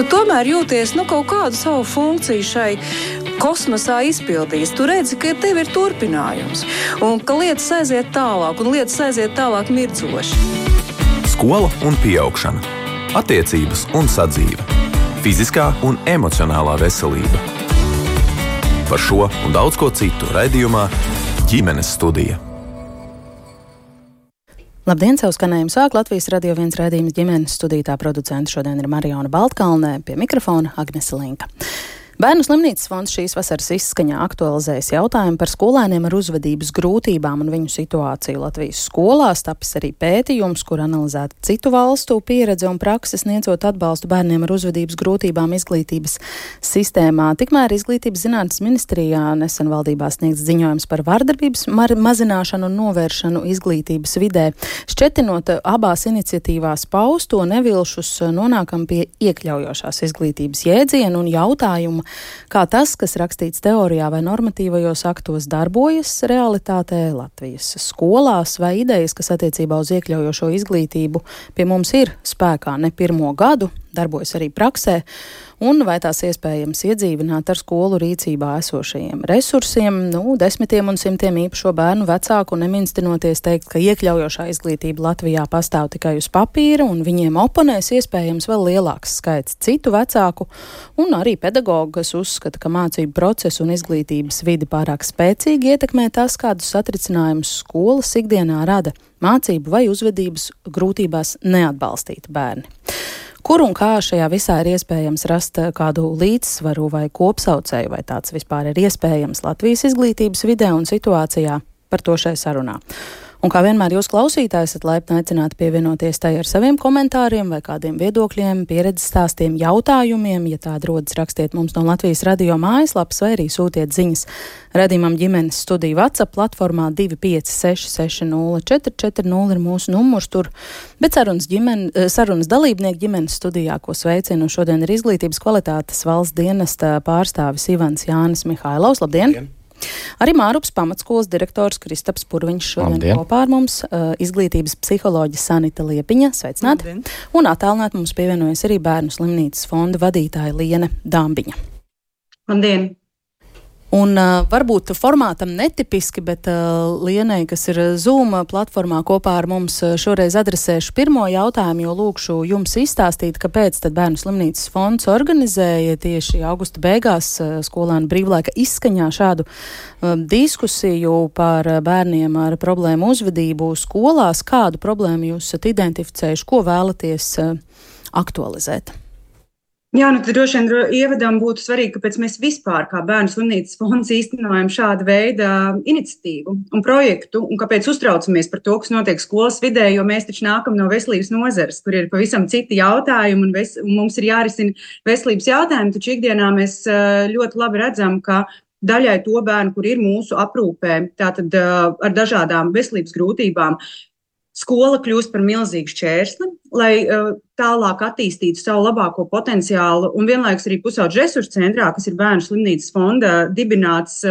tu tomēr jūties kaut kādu savu funkciju šai kosmosā izpildījis. Tu redzi, ka tev ir turpinājums un ka lietas aiziet tālāk mirdzoši. Skola un pieaugšana, attiecības un sadzīve, fiziskā un emocionālā veselība. Par šo un daudz ko citu raidījumā Ģimenes studija. Labdien, savu skanējumu sāk Latvijas Radio 1 raidījums Ģimenes studijā. Producenta šodien ir Mariona Baltkalnē, pie mikrofona Agnese Linka. Bērnu slimnīcas fonds šīs vasaras izskaņā aktualizējas jautājumu par skolēniem ar uzvedības grūtībām un viņu situāciju Latvijas skolās. Tapis arī pētījums, kur analizēta citu valstu pieredze un prakse sniedzot atbalstu bērniem ar uzvedības grūtībām izglītības sistēmā. Tikmēr Izglītības zinātnes ministrijā nesen valdībā sniegts ziņojums par vardarbības mazināšanu un novēršanu izglītības vidē. Šķetinot abās iniciatīvās pausto nevilšus, nonākam pie iekļaujošās izglītības jēdziena un jautājumu, kā tas, kas rakstīts teorijā vai normatīvajos aktos, darbojas realitātē Latvijas skolās, vai idejas, kas attiecībā uz iekļaujošo izglītību pie mums ir spēkā ne pirmo gadu, darbojas arī praksē, un vai tās iespējams iedzīvināt ar skolu rīcībā esošajiem resursiem, desmitiem un simtiem īpašo bērnu vecāku, neminstinoties teikt, ka iekļaujošā izglītība Latvijā pastāv tikai uz papīra, un viņiem oponēs iespējams vēl lielāks skaits citu vecāku, un arī pedagogu, kas uzskata, ka mācību procesu un izglītības vidi pārāk spēcīgi ietekmē tas, kādus satricinājumus skolas ikdienā rada mācību vai uzvedības grūtībās neatbalstīti bērni. Kur un kā šajā visā ir iespējams rast kādu līdzsvaru vai kopsaucēju, vai tāds vispār ir iespējams Latvijas izglītības vidē un situācijā, par to šai sarunā. Un kā vienmēr jūs klausītāji esat laipni aicināti pievienoties tai ar saviem komentāriem vai kādiem viedokļiem, pieredzes stāstiem, jautājumiem. Ja tādi rodas, rakstiet mums no Latvijas radio mājaslapas vai arī sūtiet ziņas radījumam Ģimenes studiju WhatsApp platformā 256604440 ir mūsu numurs tur. Bet sarunas dalībnieki Ģimenes studijā, ko sveicinu šodien, ir Izglītības kvalitātes valsts dienesta pārstāvis Ivans Jānis Mihailovs. Labdien! Labdien. Arī Mārupas pamatskolas direktors Kristaps Purviņš šodien kopā ar mums, izglītības psiholoģe Sanita Liepiņa, sveicināti, un attālināt mums pievienojas arī Bērnu slimnīcas fonda vadītāja Liene Dambiņa. Labdien! Un varbūt formātam netipiski, bet Lienei, kas ir Zoom platformā kopā ar mums, šoreiz adresēšu pirmo jautājumu, jo lūkšu jums izstāstīt, kāpēc tad Bērnu slimnīcas fonds organizēja tieši augusta beigās skolēnu brīvlaika izskaņā šādu diskusiju par bērniem ar problēmu uzvedību skolās. Kādu problēmu jūs esat identificējuši, ko vēlaties aktualizēt? Jā, tad droši vien ievadām būtu svarīgi, kāpēc mēs vispār kā Bērnu slimnīcas fonds īstenojam šādu veidu iniciatīvu un projektu, un kāpēc uztraucamies par to, kas notiek skolas vidē, jo mēs taču nākam no veselības nozares, kur ir pavisam citi jautājumi, un mums ir jārisina veselības jautājumi, taču ikdienā mēs ļoti labi redzam, ka daļai to bērnu, kur ir mūsu aprūpē, tātad ar dažādām veselības grūtībām, skola kļūst par milzīgu šķērsli, lai tālāk attīstītu savu labāko potenciālu, un vienlaikus arī Pusauģu resursu centrā, kas ir Bērnu slimnīcas fonda dibināts,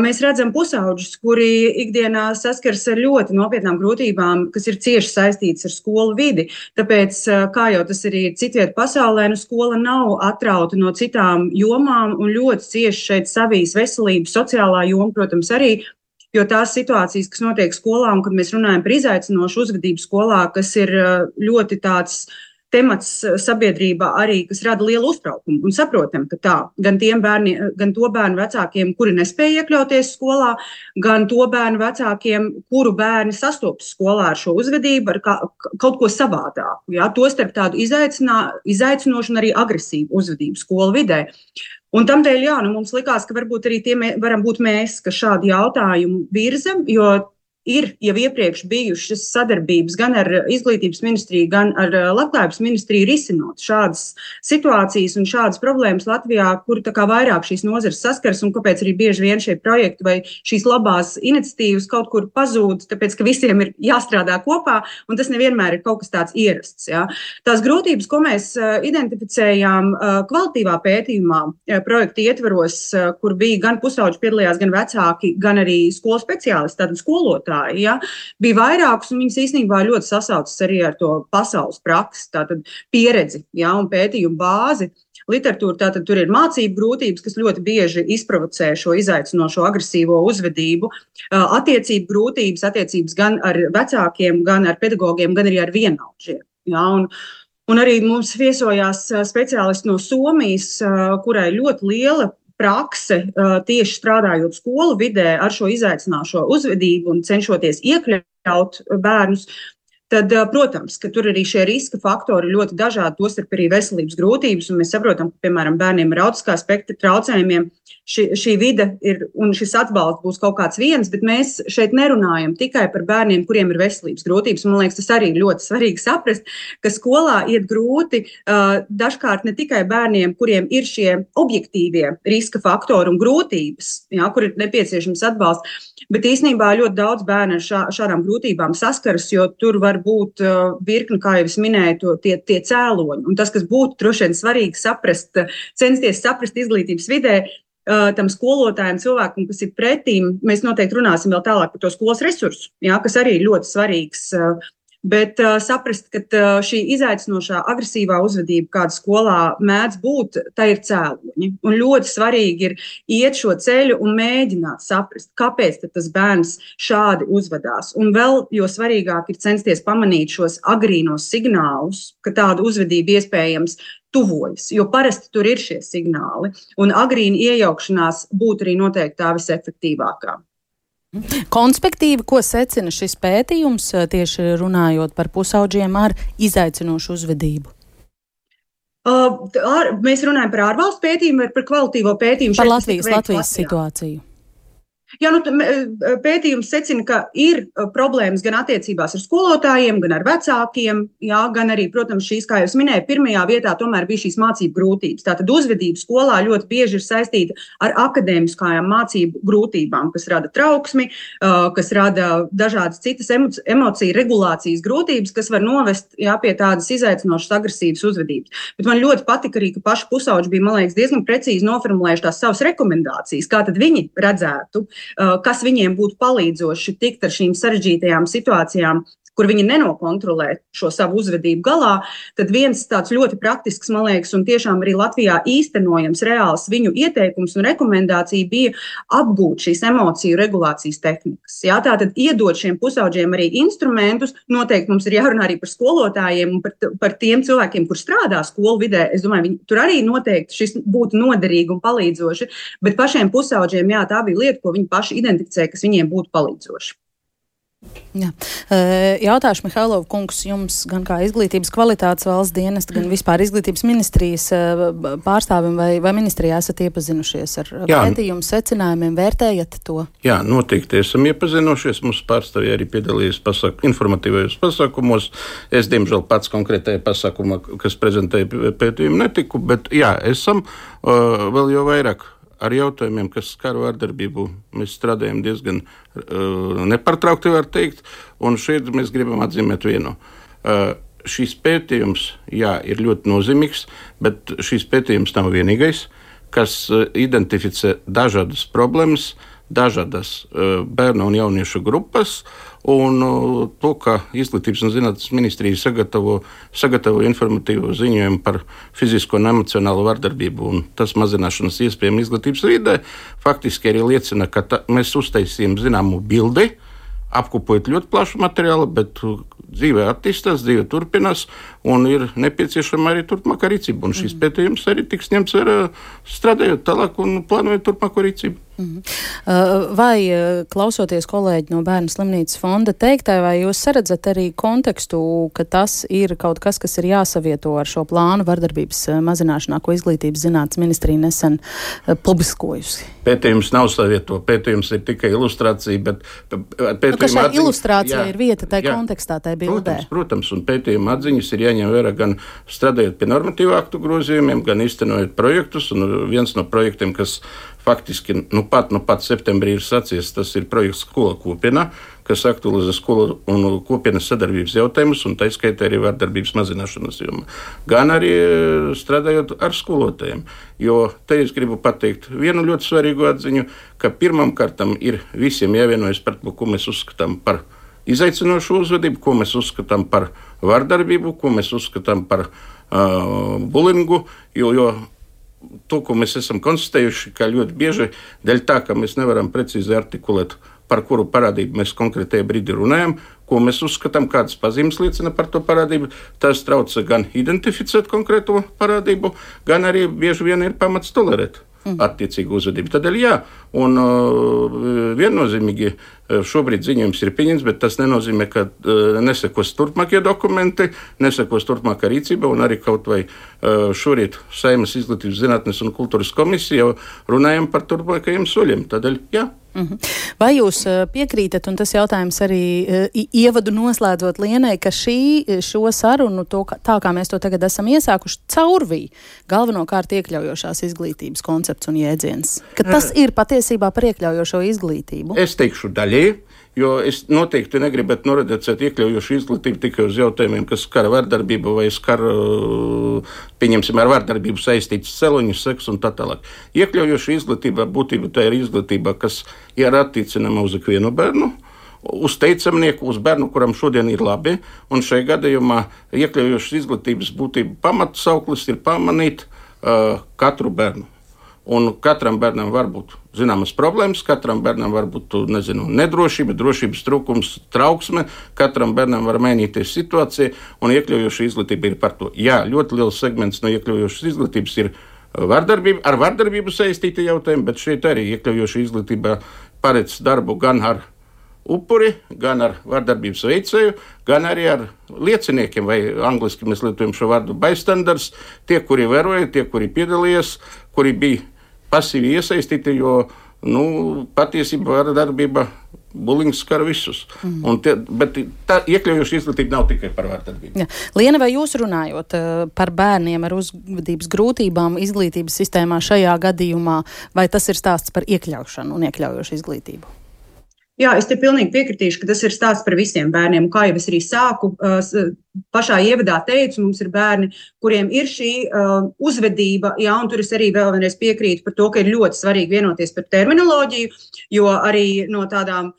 mēs redzam pusauģus, kuri ikdienā saskars ar ļoti nopietnām grūtībām, kas ir cieši saistītas ar skolu vidi. Tāpēc, kā jau tas arī ir citviet pasaulē, skola nav atrauta no citām jomām un ļoti cieši šeit savijas veselības, sociālā joma, protams, arī. Jo tās situācijas, kas notiek skolā, un kad mēs runājam par izaicinošu uzvedību skolā, kas ir ļoti tāds temats sabiedrībā arī, kas rada lielu uztraukumu. Un saprotam, ka tā, gan to bērnu vecākiem, kuri nespēja iekļauties skolā, gan to bērnu vecākiem, kuru bērni sastopas skolā ar šo uzvedību, ar kaut ko savādāku. Ja? Tostarp tādu izaicinošu un arī agresīvu uzvedību skolu vidē. Un tamdēļ, mums likās, ka varbūt arī tie varam būt mēs, kas šādu jautājumu virzam, jo ir jau iepriekš bijušas sadarbības gan ar Izglītības ministriju, gan ar Labklājības ministriju risinot šādas situācijas un šādas problēmas Latvijā, kur tā kā vairāk šīs nozares saskars un kāpēc arī bieži vien šie projekti vai šīs labās iniciatīvas kaut kur pazūd, tāpēc, ka visiem ir jāstrādā kopā un tas nevienmēr ir kaut kas tāds ierasts. Ja. Tās grūtības, ko mēs identificējām kvalitīvā pētījumā projekta ietvaros, kur bija gan pusauģi piedalījās, gan vecāki, gan arī skolu speciālisti, tātad skolotāji, skolotāji. Ja? Bija vairākus, un viņas īstenībā ļoti sasaucas arī ar to pasaules praksi, tātad pieredzi, ja, un pētījumu bāzi. Literatūra, tātad tur ir mācību grūtības, kas ļoti bieži izprovocē šo izaicinošo agresīvo uzvedību, attiecību grūtības, attiecības gan ar vecākiem, gan ar pedagogiem, gan arī ar vienaudžiem. Ja, un arī mums viesojās speciālisti no Somijas, kurai ļoti liela prakse tieši strādājot skolu vidē ar šo izaicinošo uzvedību un cenšoties iekļaut bērnus. Tad, protams, ka tur arī šie riska faktori ļoti dažādi, tostarp arī veselības grūtības, un mēs saprotam, ka, piemēram, bērniem ar autiskā spektra traucējumiem šī vide ir, un šis atbalsts būs kaut kāds viens, bet mēs šeit nerunājam tikai par bērniem, kuriem ir veselības grūtības. Man liekas, tas arī ļoti svarīgi saprast, ka skolā iet grūti dažkārt ne tikai bērniem, kuriem ir šie objektīvie riska faktori un grūtības, jā, kur ir nepieciešams atbalsts, bet īstenībā ļoti daudz bērnu ar šādām grūtībām saskaras, jo tur var būt virkni, kā jau es minēju, tie cēloņi. Un tas, kas būtu droši vien svarīgi saprast, censties saprast izglītības vidē, tam skolotājiem, cilvēkam, kas ir pretīm, mēs noteikti runāsim vēl tālāk par to skolas resursu, jā, kas arī ir ļoti svarīgs. Bet saprast, ka šī izaicinošā agresīvā uzvedība, kāda skolā mēdz būt, tā ir cēloņi. Un ļoti svarīgi ir iet šo ceļu un mēģināt saprast, kāpēc tas bērns šādi uzvedās. Un vēl jo svarīgāk ir censties pamanīt šos agrīnos signālus, ka tāda uzvedība iespējams tuvojas, jo parasti tur ir šie signāli. Un agrīna iejaukšanās būtu arī noteikti tā visefektīvākā. Konspektīvi, ko secina šis pētījums, tieši runājot par pusaudžiem ar izaicinošu uzvedību? Mēs runājam par ārvalstu pētījumu vai par kvalitīvo pētījumu? Par Latvijas situāciju. Jā, pētījums secina, ka ir problēmas gan attiecībās ar skolotājiem, gan ar vecākiem, jā, gan arī, protams, šīs, kā jau es minēju, pirmajā vietā tomēr bija šīs mācību grūtības. Tātad uzvedība skolā ļoti bieži ir saistīta ar akadēmiskajām mācību grūtībām, kas rada trauksmi, kas rada dažādas citas emociju regulācijas grūtības, kas var novest, jā, pie tādas izaicinošas agresīvas uzvedības. Bet man ļoti patika arī, ka paši pusauģi bija, man liekas, diezgan precīzi noformulējuši tās savas rekomendācijas, kā tad viņi redzētu, kas viņiem būtu palīdzoši tikt ar šīm sarežģītajām situācijām, kur viņi nenokontrolē šo savu uzvedību galā, tad viens tāds ļoti praktisks, man liekas, un tiešām arī Latvijā īstenojams reāls viņu ieteikums un rekomendācija bija apgūt šīs emociju regulācijas tehnikas. Jā, tātad iedot šiem pusauģiem arī instrumentus, noteikti mums ir jārunā arī par skolotājiem un par tiem cilvēkiem, kur strādā skolu vidē. Es domāju, tur arī noteikti šis būtu noderīgi un palīdzoši, bet pašiem pusauģiem, jā, tā bija lieta, ko viņi paši identificēja, kas viņiem būtu palīdzoši. Jā. Jautāšu, Mihailov kungs, jums gan kā izglītības kvalitātes valsts dienesta, gan vispār izglītības ministrijas pārstāvim vai ministrijā esat iepazinušies ar pētījumu secinājumiem, vērtējat to? Jā, noteikti esam iepazinušies. Mums pārstāvja arī piedalījies informatīvajos pasākumos. Es, diemžēl, pats konkrētajā pasākumā, kas prezentēja pētījumu, netiku, bet jā, esam vēl jau vairāk. Ar jautājumiem, kas skar vardarbību, mēs strādājam diezgan nepārtraukti, var teikt, un šeit mēs gribam atzīmēt vienu. Šis pētījums, jā, ir ļoti nozīmīgs, bet šis pētījums nav vienīgais, kas identificē dažādas problēmas, dažādas bērnu un jauniešu grupas, un to, ka Izglītības un zinātnes ministrija sagatavo informatīvu ziņojumu par fizisko un emocionālo vardarbību un tas mazināšanas iespējām izglītības vidē, faktiski arī liecina, ka mēs uztaisījām zināmu bildi, apkopojot ļoti plašu materiālu, bet dzīve attīstās, dzīve turpinās un ir nepieciešama arī turpmākā rīcība. Un šis pētījums arī tiks ņemts vērā strādājot tālāk un plānojot turpmāko rīcību. Vai, klausoties kolēģi no Bērnu slimnīcas fonda teiktā, vai jūs saredzat arī kontekstu, ka tas ir kaut kas, kas ir jāsavieto ar šo plānu vardarbības mazināšanā, ko Izglītības zinātnes ministrija nesen publiskojusi? Pētījums nav savieto, pētījums ir tikai ilustrācija, bet ka šai ilustrācija ir vieta tai kontekstā, tai bildē. Protams, un pētījuma atziņas ir jāņem jāņem vērā gan strādājot pie normatīvu aktu grozījumiem, gan īstenojot projektus. Un viens no projektiem, kas faktiski nu pat septembrī ir sācies, tas ir projekts Skola kopienā, kas aktualizē skolu un kopienas sadarbības jautājumus, un tā skaitā arī vardarbības mazināšanas jomā. Gan arī strādājot ar skolotājiem. Jo te es gribu pateikt vienu ļoti svarīgu atziņu, ka pirmam kārtam ir visiem jāvienojas par to, ko mēs uzskatām par izaicinošu uzvedību, ko mēs uzskatām par vardarbību, ko mēs uzskatām par bulingu, jo to, ko mēs esam konstatējuši, ka ļoti bieži dēļ tā, ka mēs nevaram precīzi artikulēt, par kuru parādību mēs konkrētajā brīdī runājam, ko mēs uzskatām, kādas pazīmes liecina par to parādību, tas trauca gan identificēt konkrēto parādību, gan arī bieži vien ir pamats tolerēt attiecīgu uzvedību. Tādēļ jā, un viennozīmīgi šobrīd ziņojums ir pieņemts, bet tas nenozīmē, ka nesekos turpmākie dokumenti, nesekos turpmākā rīcība, un arī kaut vai šorīt Saeimas izglītības zinātnes un kultūras komisija jau runājam par turpmākajiem soļiem. Tādēļ jā. Vai jūs piekrītat, un tas jautājums arī ievadu noslēdzot Lienai, ka šo sarunu, tā kā mēs to tagad esam iesākuši, caurvīja galvenokārt iekļaujošās izglītības koncepts un jēdziens? Ka tas ir patiesībā par iekļaujošo izglītību? Es teikšu daļēji, jo es noteikti negribētu noreducēt iekļaujošu izglītību tikai uz jautājumiem, kas skar vardarbību vai skar, pieņemsim, ar vardarbību saistītas celoņus, seksu un tā tālāk. Iekļaujoša izglītība būtībā tā ir izglītība, kas ir attiecināma uz ikvienu bērnu, uz teicamnieku, uz bērnu, kuram šodien ir labi, un šajā gadījumā iekļaujošas izglītības būtība pamatsauklis ir pamanīt katru bērnu. Un katram bērnam var būt zināmas problēmas, katram bērnam var būt, nedrošība, drošības trūkums, trauksme, katram bērnam var mainīties situācija, un iekļaujoša izglītība ir par to. Jā, ļoti liels segments no iekļaujošas izglītības ir vardarbība, ar vardarbību saistīti jautājumi, bet šeit arī iekļaujoša izglītība paredz darbu gan ar upuri, gan ar vardarbības veicēju, gan arī ar lieciniekiem, vai angliski mēs lietojam šo vārdu bystanders, tie, kuri vēroja, tie, kuri piedalījās, kuri bija pasīvi iesaistīti, jo patiesībā vardarbība, bulings skar visus. Bet tā iekļaujoša izglītība nav tikai par vardarbību. Ja. Liena, vai jūs runājot par bērniem ar uzvedības grūtībām izglītības sistēmā šajā gadījumā, vai tas ir stāsts par iekļaušanu un iekļaujošu izglītību? Jā, es te pilnīgi piekritīšu, ka tas ir stāsts par visiem bērniem. Kā jau es arī sāku, pašā ievadā teicu, mums ir bērni, kuriem ir šī uzvedība, jā, un tur es arī vēl vienreiz piekrītu par to, ka ir ļoti svarīgi vienoties par terminoloģiju, jo arī no tādām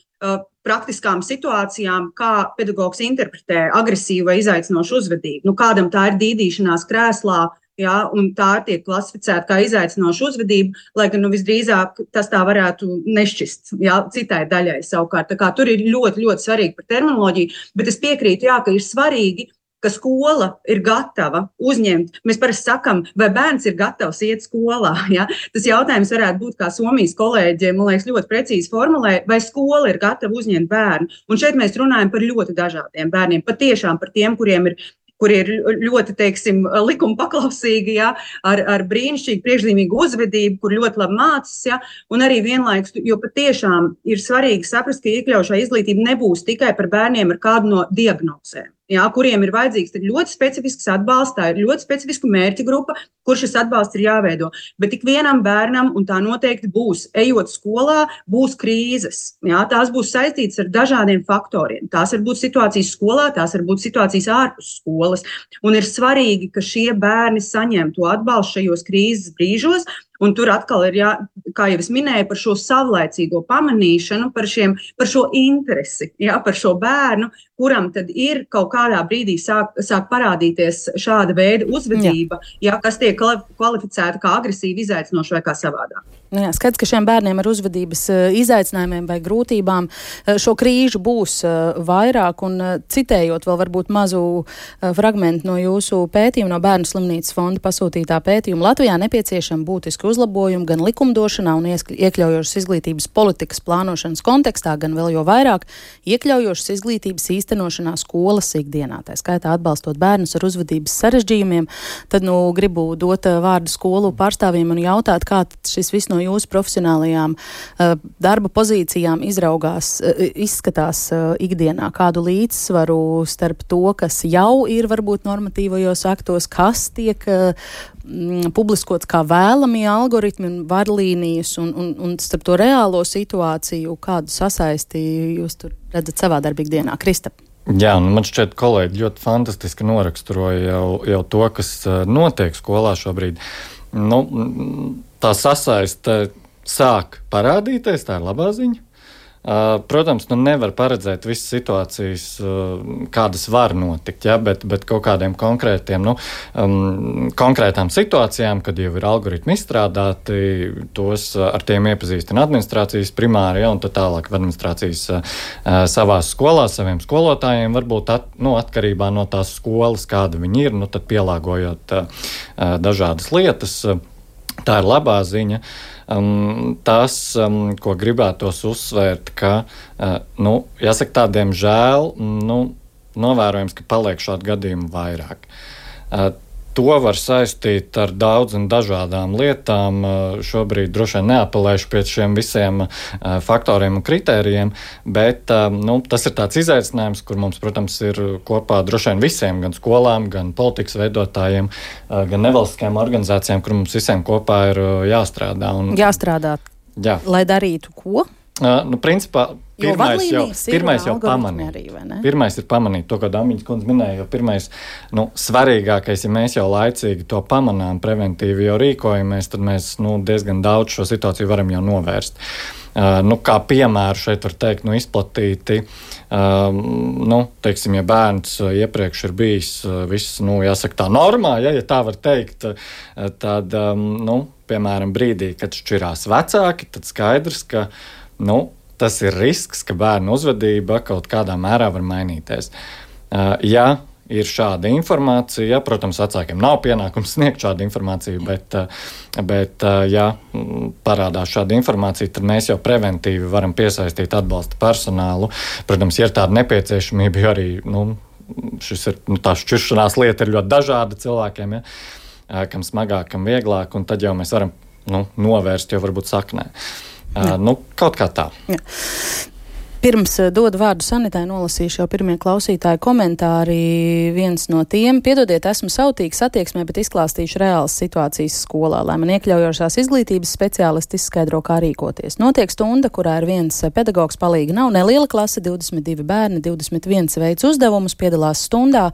praktiskām situācijām, kā pedagogs interpretē agresīvu vai izaicinošu uzvedību. Kādam tā ir dīdīšanās krēslā, jā, un tā tiek klasificēta kā izaicinoša uzvedība, lai gan visdrīzāk tas tā varētu nešķist, jā, citai daļai savukārt. Tā kā tur ir ļoti, ļoti svarīgi par terminoloģiju, bet es piekrītu, jā, ka ir svarīgi, ka skola ir gatava uzņemt. Mēs parasti sakam, vai bērns ir gatavs iet skolā. Ja? Tas jautājums varētu būt, kā Somijas kolēģiem, man liekas, ļoti precīzi formulē, vai skola ir gatava uzņemt bērnu. Un šeit mēs runājam par ļoti dažādiem bērniem, patiešām par tiem, kuri ir ļoti, teiksim, likuma paklausīgi, ja, ar brīnišķīgu priekšzīmīgu uzvedību, kur ļoti labi mācas, ja, un arī vienlaikus, jo patiešām ir svarīgi saprast, ka iekļaujošā izglītība nebūs tikai par bērniem ar kādu no diagnozēm. Jā, kuriem ir vajadzīgs ļoti specifisks atbalsts, tā ir ļoti specifiska mērķa grupa, kur šis atbalsts ir jāveido. Bet ik vienam bērnam, un tā noteikti būs, ejot skolā, būs krīzes. Jā, tās būs saistītas ar dažādiem faktoriem. Tās var būt situācijas skolā, tās var būt situācijas ārpus skolas. Un ir svarīgi, ka šie bērni saņem to atbalstu šajos krīzes brīžos. Un tur atkal ir, kā jau es minēju, par šo savlaicīgo pamanīšanu, par šo interesi, par šo bērnu, kuram tad ir kaut kādā brīdī sāk parādīties šāda veida uzvedība, kas tiek kvalificēta kā agresīva, izaicinoša vai kā savādāk. Jā, skaidrs, ka šiem bērniem ar uzvedības izaicinājumiem vai grūtībām šo krīžu būs vairāk, un citējot vēl varbūt mazu fragmentu no jūsu pētījuma, no Bērnu slimnīcas fonda pasūtītā pētījuma, Latvijā nepieciešama būtiska uzlabojuma gan likumdošanā un iekļaujošas izglītības politikas plānošanas kontekstā, gan vēl jo vairāk iekļaujošas izglītības īstenošanas īstenošanā skolas ikdienā, tā skaitā atbalstot bērnus ar uzvedības sarežģījumiem. Tad, gribu dot vārdu skolu pārstāvjiem un jautāt, kā šis viss no jūsu profesionālajām darba pozīcijām izskatās ikdienā, kādu līdzsvaru starp to, kas jau ir varbūt normatīvajos aktos, kas tiek publiskots kā vēlamie algoritmi un vadlīnijas un starp to reālo situāciju, kādu sasaisti jūs tur redzat savā darbīgdienā. Krista. Jā, man šķiet, kolēģi ļoti fantastiski noraksturoja jau to, kas notiek skolā šobrīd. Tā sasaiste sāk parādīties, tā ir labā ziņa. Protams, nevar paredzēt visas situācijas, kādas var notikt, ja, bet kaut kādiem konkrētām situācijām, kad jau ir algoritmi izstrādāti, tos ar tiem iepazīstina administrācijas primāri, ja, un tad tālāk administrācijas savās skolās, saviem skolotājiem, varbūt atkarībā no tās skolas, kāda viņi ir, tad pielāgojot dažādas lietas. Tā ir labā ziņa. Tas, ko gribētos uzsvērt, ka, jāsaka, tādiem žēl, novērojams, ka paliek šādu gadījumu vairāk. To var saistīt ar daudz un dažādām lietām. Šobrīd droši vien neapelēšu pie šiem visiem faktoriem un kritērijiem, bet tas ir tāds izaicinājums, kur mums, protams, ir kopā droši vien visiem, gan skolām, gan politikas veidotājiem, gan nevalstiskajām organizācijām, kur mums visiem kopā ir jāstrādā. Jāstrādā, jā. Lai darītu ko? Principā, pirmais jau pamanīt. Pirmais ir pamanīt to, ko Damiņas kundze minēja, jo pirmais, svarīgākais, ja mēs jau laicīgi to pamanām, preventīvi jau rīkojamies, tad mēs, diezgan daudz šo situāciju varam jau novērst. Kā piemēru šeit var teikt, izplatīti, teiksim, ja bērns iepriekš ir bijis viss, jāsaka tā normā, ja tā var teikt, tad, piemēram, brīdī, kad šķirās vecāki, tad skaidrs, ka, tas ir risks, ka bērnu uzvedība kaut kādā mērā var mainīties. Ja ir šāda informācija, protams, vecākiem nav pienākums sniegt šādu informāciju, bet ja parādās šāda informācija, tad mēs jau preventīvi varam piesaistīt atbalsta personālu. Protams, ja ir tāda nepieciešamība, jo arī, tā šķiršanās lieta ir ļoti dažāda cilvēkiem, ja, kam smagāk, kam vieglāk, un tad jau mēs varam, novērst jau varbūt saknē. Kaut kā tā. Jā. Pirms dodu vārdu Sanitai, nolasīšu jau pirmie klausītāju komentāri. Viens no tiem: piedodiet, esmu sautīgs attieksmē, bet izklāstīšu reālas situācijas skolā, lai man iekļaujošās izglītības speciālisti izskaidro, kā rīkoties. Notiek stunda, kurā ir viens pedagogs, palīgi nav, neliela klase, 22 bērni, 21 veids uzdevumus, piedalās stundā,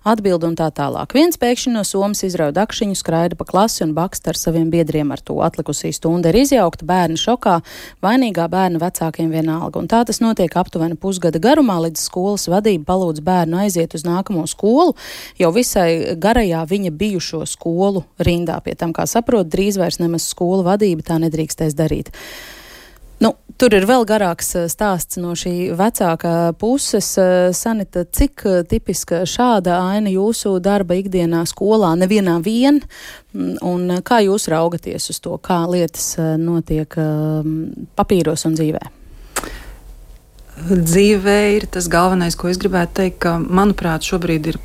atbild un tā tālāk. Viens pēkšņi no somas izrauj dakšiņu, skraida pa klasi un bakst ar saviem biedriem ar to. Atlikusī stunda ir izjaukta, bērni šokā, vainīgā bērna vecākiem vienalga. Un tā tas notiek aptuveni pusgada garumā, līdz skolas vadība palūdz bērnu aiziet uz nākamo skolu, jau visai garajā viņa bijušo skolu rindā. Pie tam, kā saprot, drīz vairs nemaz skolu vadība tā nedrīkstēs darīt. Tur ir vēl garāks stāsts no šī vecākā puses. Sanita, cik tipiska šāda aina jūsu darba ikdienā skolā, nevienā vien, un kā jūs raugaties uz to, kā lietas notiek papīros un dzīvē? Dzīvē ir tas galvenais, ko es gribētu teikt, ka, manuprāt, šobrīd ir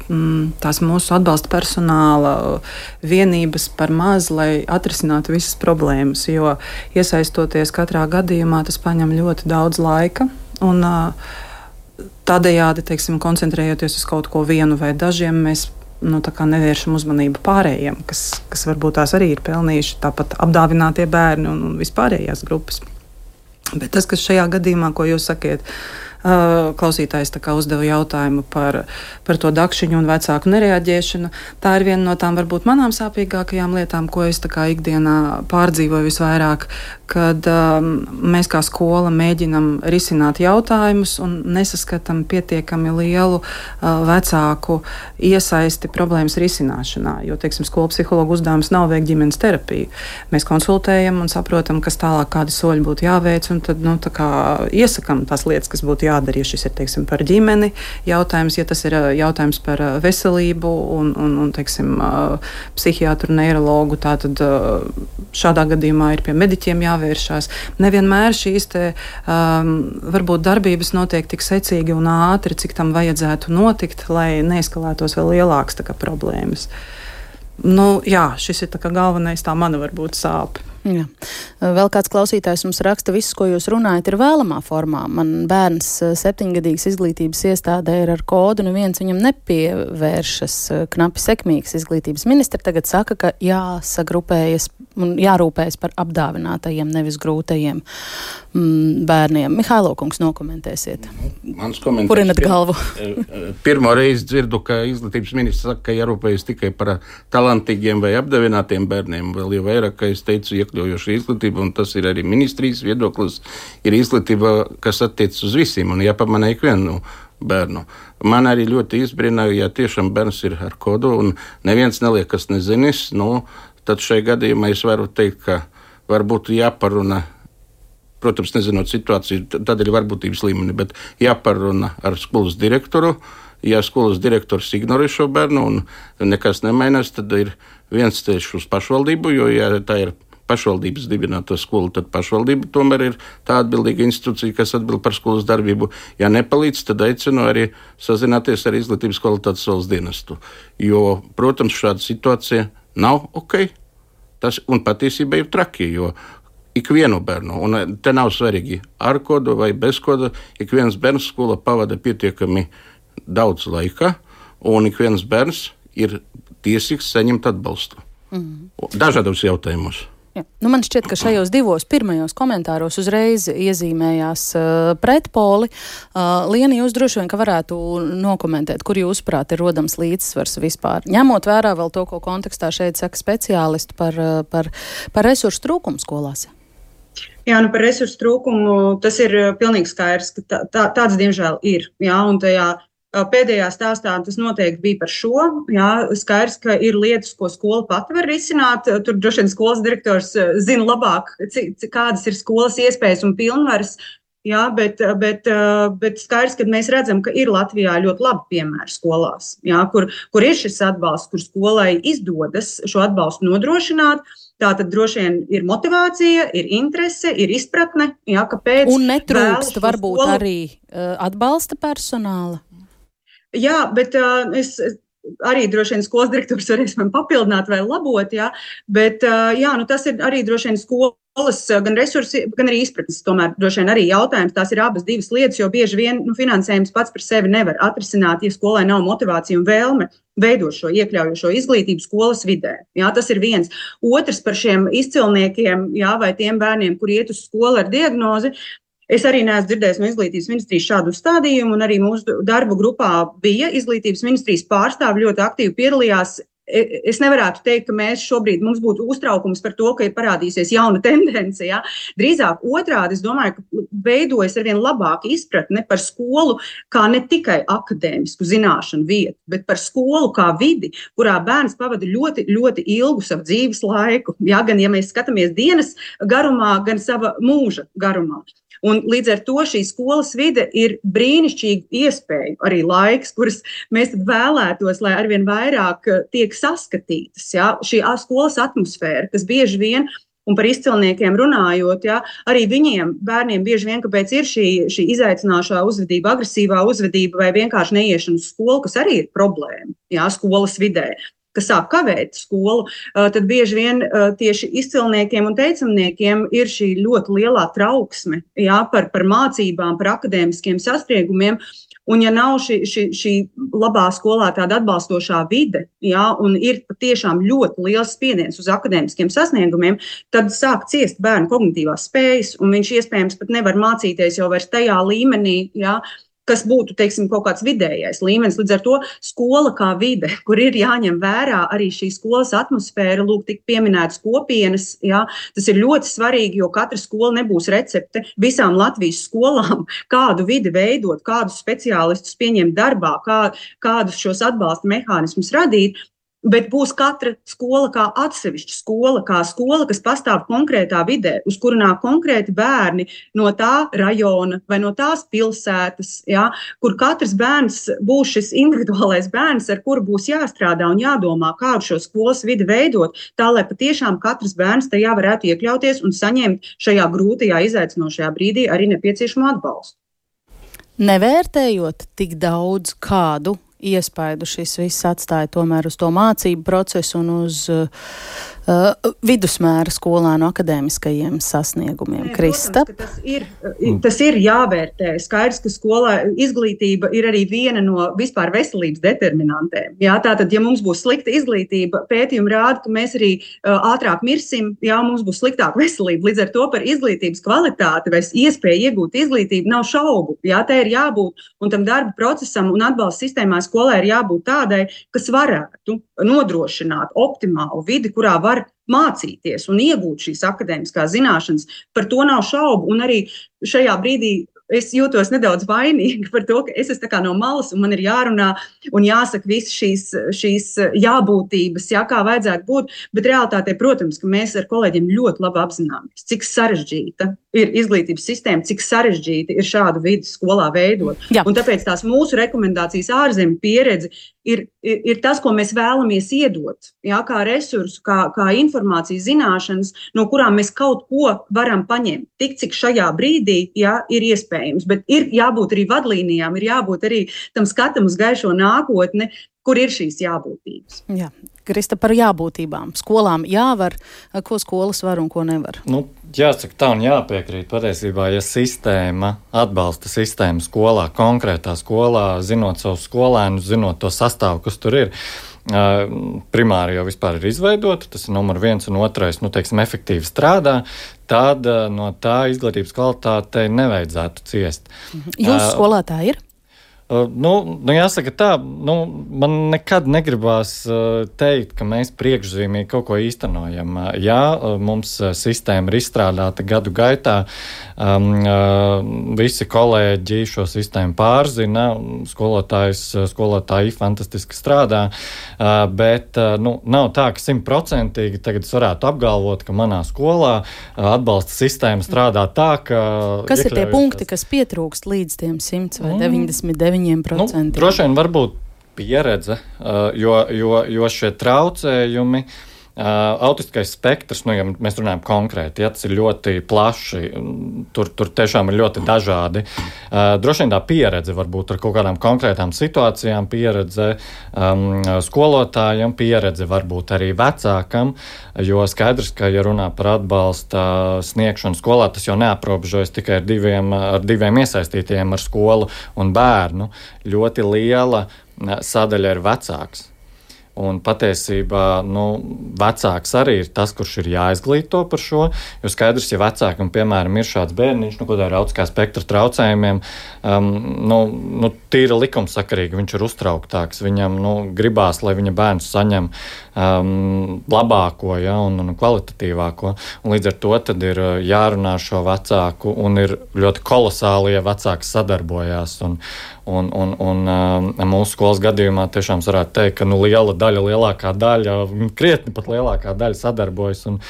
tās mūsu atbalsta personāla vienības par maz, lai atrisinātu visas problēmas, jo iesaistoties katrā gadījumā, tas paņem ļoti daudz laika, un tādējādi, teiksim, koncentrējoties uz kaut ko vienu vai dažiem, mēs nevēršam uzmanību pārējiem, kas varbūt tās arī ir pelnījuši, tāpat apdāvinātie bērni un vispārējās grupas. Bet tas, kas šajā gadījumā, ko jūs sakiet, klausītājs uzdeva jautājumu par to dakšiņu un vecāku nereaģēšanu, tā ir viena no tām varbūt manām sāpīgākajām lietām, ko es ikdienā pārdzīvoju visvairāk, kad mēs kā skola mēģinam risināt jautājumus un nesaskatām pietiekami lielu vecāku iesaisti problēmas risināšanā, jo, teiksim, skolu psihologu uzdevums nav veikt ģimenes terapiju. Mēs konsultējam un saprotam, kas tālāk, kādi soļi būtu jāveic, un tad, iesakam tās lietas, kas būtu jādara, ja šis ir, teiksim, par ģimeni jautājums, ja tas ir jautājums par veselību un teiksim, psihiatru, neirologu, tātad šādā gadījumā ir pie mediķiem jāvērš jāvēršās. Nevienmēr šīs varbūt darbības notiek tik secīgi un ātri, cik tam vajadzētu notikt, lai neeskalētos vēl lielākas problēmas. Šis ir galvenais, tā mana varbūt sāpe. Jā. Vēl kāds klausītājs mums raksta, viss, ko jūs runājat, ir vēlamā formā. Man bērns 7-gadīgs izglītības iestādē ir ar kodu, neviens viņam nepievēršas. Knapi sekmīgs izglītības ministri tagad saka, ka jāsagrupējas un jārūpējas par apdāvinātajiem, nevis grūtajiem bērniem. Mihailo kungs, nokomentēsiet. Mans komentārs. Purinat galvu. Pirmo reizi dzirdu, ka izglītības ministrs saka, ka jārūpējas tikai par talantīgiem vai apdāvinātiem bērniem. Vēl jau vairāk, ka es teicu, iekļaujoša izglītība, un tas ir arī ministrijas viedoklis, ir izglītība, kas attiec uz visiem un jāpamanā ikvienu bērnu. Man arī ļoti izbrīnāja, ja tiešām bērns ir ar kodu un neviens neliekas nezinis, tad šai gadījumā es varu teikt, ka varbūt jāparuna, protams, nezinot situāciju, tad ir varbūtības līmeni, bet jāparuna ar skolas direktoru. Ja skolas direktors ignorē šo bērnu un nekas nemainās, tad ir viens ceļš uz pašvaldību, jo ja tā ir pašvaldības dibināta skola, tad pašvaldība tomēr ir tā atbildīga institūcija, kas atbild par skolas darbību. Ja nepalīdz, tad aicinu arī sazināties ar izglītības kvalitātes valsts dienestu. Jo, protams, šāda situācija nav ok. Tas un patiesībā ir traki, jo ikvienu bērnu, un te nav svarīgi ar kodu vai bez kodu, ik viens bērns skola pavada pietiekami daudz laika, un ik viens bērns ir tiesīgs saņemt atbalstu. Dažādos jautājumos. Jā. Man šķiet, ka šajos divos pirmajos komentāros uzreiz iezīmējās pretpoli. Liena, jūs droši vien, ka varētu nokomentēt, kur jūsuprāt ir rodams līdzsvars vispār. Ņemot vērā vēl to, ko kontekstā šeit saka speciālisti par resursu trūkumu skolās. Jā, par resursu trūkumu tas ir pilnīgi skaidrs, ka tāds diemžēl ir. Jā, un tajā pēdējā stāstā tas noteikti bija par šo. Jā, skaidrs, ka ir lietas, ko skola pati var risināt. Tur droši vien skolas direktors zina labāk, kādas ir skolas iespējas un pilnvaras. Jā, bet skaidrs, ka mēs redzam, ka ir Latvijā ļoti labi piemēri skolās, jā, kur ir šis atbalsts, kur skolai izdodas šo atbalstu nodrošināt. Tātad droši vien ir motivācija, ir interese, ir izpratne, jā, kāpēc. Un netrūkst varbūt arī atbalsta personāla. Jā, bet es arī droši vien skolas direktors varēs man papildināt vai labot, jā, bet tas ir arī droši vien skolas gan resursi, gan arī izpratnes. Tomēr droši vien arī jautājums, tās ir abas divas lietas, jo bieži vien finansējums pats par sevi nevar atrisināt, ja skolai nav motivācija un vēlme veidot šo iekļaujošo izglītību skolas vidē. Jā, tas ir viens. Otrs par šiem izcilniekiem, jā, vai tiem bērniem, kur iet uz skolu ar diagnozi. Es arī neesmu dzirdējis no izglītības ministrijas šādu stādījumu, un arī mūsu darbu grupā bija izglītības ministrijas pārstāvi ļoti aktīvi piedalījās. Es nevarētu teikt, ka mums būtu uztraukums par to, ka ir parādīsies jauna tendence. Ja? Drīzāk otrādi, es domāju, ka veidojas arvien labāka izpratne par skolu kā ne tikai akadēmisku zināšanu vietu, bet par skolu kā vidi, kurā bērns pavada ļoti, ļoti ilgu savu dzīves laiku. Ja? Gan, ja mēs skatāmies dienas garumā, gan sava mūža garumā. Un līdz ar to šī skolas vide ir brīnišķīga iespēja, arī laiks, kuras mēs tad vēlētos, lai arvien vairāk tiek saskatītas. Ja? Šī skolas atmosfēra, kas bieži vien, un par izcilniekiem runājot, ja, arī viņiem, bērniem bieži vien, kāpēc ir šī izaicināšā uzvedība, agresīvā uzvedība vai vienkārši neiešana uz skolu, kas arī ir problēma, ja, skolas vidē, kas sāk kavēt skolu, tad bieži vien tieši izcilniekiem un teicamniekiem ir šī ļoti lielā trauksme, jā, par mācībām, par akadēmiskiem sasniegumiem. Un ja nav šī labā skolā tāda atbalstošā vide, jā, un ir patiešām ļoti liels spiediens uz akadēmiskiem sasniegumiem, tad sāk ciest bērnu kognitīvās spējas, un viņš iespējams pat nevar mācīties jau vairs tajā līmenī, jā, kas būtu, teiksim, kaut kāds vidējais līmenis. Līdz ar to skola kā vide, kur ir jāņem vērā arī šī skolas atmosfēra, lūk, tik pieminētas kopienas, jā, tas ir ļoti svarīgi, jo katra skola nebūs recepte visām Latvijas skolām, kādu vidi veidot, kādus speciālistus pieņemt darbā, kādus šos atbalsta mehānismus radīt. bet būs katra skola kā atsevišķa skola, kas pastāv konkrētā vidē, uz kuru nāk konkrēti bērni no tā rajona vai no tās pilsētas, ja, kur katrs bērns būs šis individuālais bērns, ar kuru būs jāstrādā un jādomā, kādu šo skolas vidi veidot, tā, lai patiešām katrs bērns tajā varētu iekļauties un saņemt šajā grūtajā, izaicinošajā brīdī arī nepieciešamo atbalstu. Nevērtējot tik daudz kādu iespaidu šis viss atstāja tomēr uz to mācību procesu un uz vidusmēra skolānu akadēmiskajiem sasniegumiem. Krista? Protams, tas ir jāvērtē. Skaidrs, ka skolā izglītība ir arī viena no vispār veselības determinantēm. Jā, tātad, ja mums būs slikta izglītība, pētījumi rāda, ka mēs arī ātrāk mirsim, jā, mums būs sliktāka veselība. Līdz ar to par izglītības kvalitāti vai iespēju iegūt izglītību nav šaubu. Jā, tā ir jābūt, un tam darba procesam un atbalsta sistēmā skolai ir jābūt tādai, kas varētu nodrošināt optimālu vidi, kurā var mācīties un iegūt šīs akadēmiskās zināšanas. Par to nav šaubu, un arī šajā brīdī es jūtos nedaudz vainīga par to, ka es esmu tā kā no malas un man ir jārunā un jāsaka visas šīs jābūtības, jā, kā vajadzētu būt, bet realitātē, protams, ka mēs ar kolēģiem ļoti labi apzināmies, cik sarežģīta ir izglītības sistēma, cik sarežģīti ir šādu vidi skolā veidot. Jā. Un tāpēc tās mūsu rekomendācijas ārzemju pieredze ir tas, ko mēs vēlamies iedot, jā, kā resursu, kā informācijas zināšanas, no kurām mēs kaut ko varam paņemt, tik cik šajā brīdī, jā, ir iespējams. Bet ir jābūt arī vadlīnijām, ir jābūt arī tam skatam uz gaišo nākotni, kur ir šīs jābūtības. Jā. Krista, par jābūtībām. Skolām jāvar, ko skolas var un ko nevar? Jāsaka tā un jāpiekrīt. Patiesībā, ja sistēma, atbalsta sistēma skolā, konkrētā skolā, zinot savus skolēnus, zinot to sastāvu, kas tur ir, primāri jau vispār ir izveidota, tas ir numur 1 un 2, efektīvi strādā, tad no tā izglītības kvalitātei nevajadzētu ciest. Jūsu skolā tā ir? Jāsaka tā, man nekad negribās teikt, ka mēs priekšzīmīgi kaut ko īstenojam. Jā, mums sistēma ir izstrādāta gadu gaitā, visi kolēģi šo sistēmu pārzina, skolotāji fantastiski strādā, bet nav tā, ka 100% tagad es varētu apgalvot, ka manā skolā atbalsta sistēma strādā tā, ka... Kas ir tie punkti, kas pietrūkst līdz tiem 100 vai 99%? Droši vien varbūt pieredze, jo šie traucējumi, autistiskais spektrs, ja mēs runājam konkrēti, ja tas ir ļoti plaši, tur tiešām ir ļoti dažādi. Droši vien tā pieredze varbūt ar kaut kādām konkrētām situācijām, pieredze skolotājiem, pieredze varbūt arī vecākam, jo skaidrs, ka, ja runā par atbalsta sniegšanu skolā, tas jau neaprobežojas tikai ar diviem iesaistītiem, ar skolu un bērnu. Ļoti liela sadaļa ir vecāks. Un patiesībā vecāks arī ir tas, kurš ir jāizglīto par šo, jo skaidrs, ja vecākam, piemēram, ir šāds bērniņš, ko dara autistiskā spektra traucējumiem, tīri likumsakarīgi viņš ir uztrauktāks, viņam gribās, lai viņa bērns saņem labāko, ja, un kvalitatīvāko, un līdz ar to tad ir jārunā šo vecāku, un ir ļoti kolosāli, ja vecāks sadarbojās, un mūsu skolas gadījumā tiešām varētu teikt, ka lielākā daļa, krietni pat lielākā daļa sadarbojas un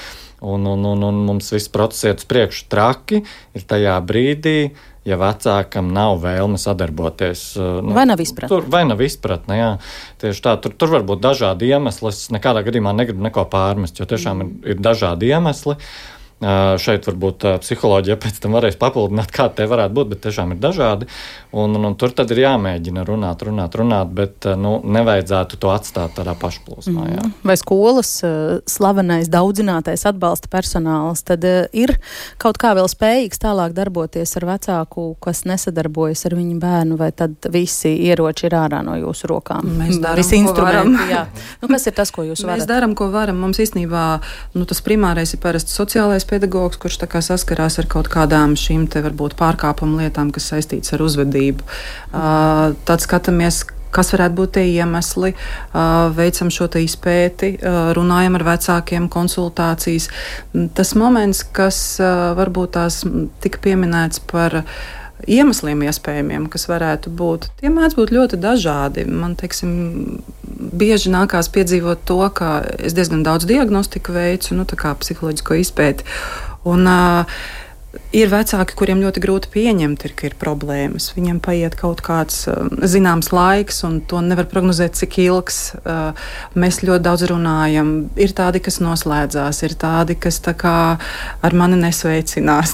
mums viss process iet uz priekšu. Traki ir tajā brīdī, ja vecākam nav vēlme sadarboties. Vai nav izpratne? Vai nav izpratne, jā. Tieši tā, tur var būt dažādi iemesli. Es nekādā gadījumā negribu neko pārmest, jo tiešām ir dažādi iemesli. Šeit varbūt psiholoģija pēc tam varēs papildināt, kā te varētu būt, bet tiešām ir dažādi. Un tur tad ir jāmēģina runāt, bet nevajadzētu to atstāt tādā pašplūsmā. Jā. Vai skolas slavenais daudzinātais atbalsta personāls tad ir kaut kā vēl spējīgs tālāk darboties ar vecāku, kas nesadarbojas ar viņu bērnu, vai tad visi ieroči ir ārā no jūsu rokām? Mēs darām, ko varam. Jā. Kas ir tas, ko jūs varat? Mēs darām, ko varam. Mums īstenībā tas primārais ir parasti sociālais pedagogs, kurš tā kā saskarās ar kaut kādām šīm te varbūt pārkāpumu lietām, kas saistīts ar uzvedību. Tad skatāmies, kas varētu būt tie iemesli, veicam šo te izpēti, runājam ar vecākiem, konsultācijas. Tas moments, kas varbūt tās tika pieminēts par iemesliem iespējamiem, kas varētu būt. Tie mēdz būt ļoti dažādi. Man, bieži nākās piedzīvot to, ka es diezgan daudz diagnostiku veicu, tā kā psiholoģisko izpēti. Un ir vecāki, kuriem ļoti grūti pieņemt, ka ir problēmas. Viņiem paiet kaut kāds zināms laiks, un to nevar prognozēt, cik ilgs. Mēs ļoti daudz runājam. Ir tādi, kas noslēdzās, ir tādi, kas ar mani nesveicinās.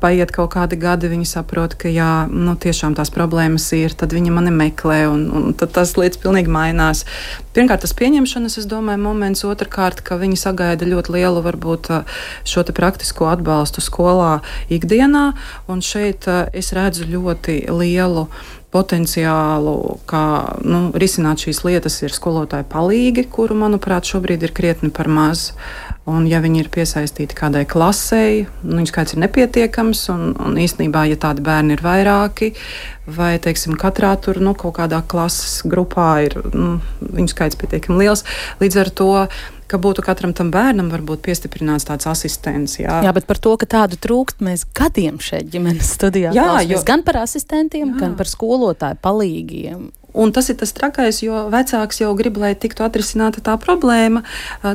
Paiet kaut kādi gadi, viņi saprot, ka jā, tiešām tās problēmas ir, tad viņi mani meklē, un tad tas lietas pilnīgi mainās. Pirmkārt, tas pieņemšanas, es domāju, moments. Otrkārt, ka viņi sagaida ļoti lielu, varbūt, šo te praktisko atbalstu skolā ikdienā, un šeit es redzu ļoti lielu potenciālu, kā risināt šīs lietas, ir skolotāju palīgi, kuru, manuprāt, šobrīd ir krietni par maz. Un, ja viņi ir piesaistīti kādai klasei, viņu skaits ir nepietiekams, un īstenībā, ja tādi bērni ir vairāki, vai, katrā tur kaut kādā klases grupā ir viņu skaits pietiekami liels, līdz ar to, ka būtu katram tam bērnam varbūt piestiprināts tāds asistents. Jā, bet par to, ka tādu trūkst, mēs gadiem šeit ģimenes studijā klausamies gan par asistentiem, gan par skolotāju palīgiem. Un tas ir tas trakais, jo vecāks jau grib, lai tiktu atrisināta tā problēma.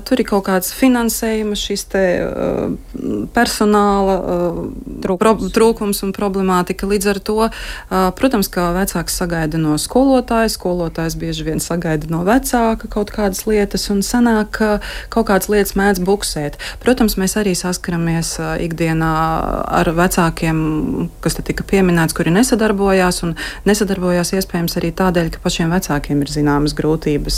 Tur ir kaut kāds finansējuma, šis te personāla trūkums un problemātika. Līdz ar to, protams, ka vecāks sagaida no skolotāja, skolotājs bieži vien sagaida no vecāka kaut kādas lietas, un sanāk, ka kaut kādas lietas mēdz buksēt. Protams, mēs arī saskaramies ikdienā ar vecākiem, kas te tika pieminēts, kuri nesadarbojās, un nesadarbojās iespējams arī tādēļ, ka pašiem vecākiem ir zināmas grūtības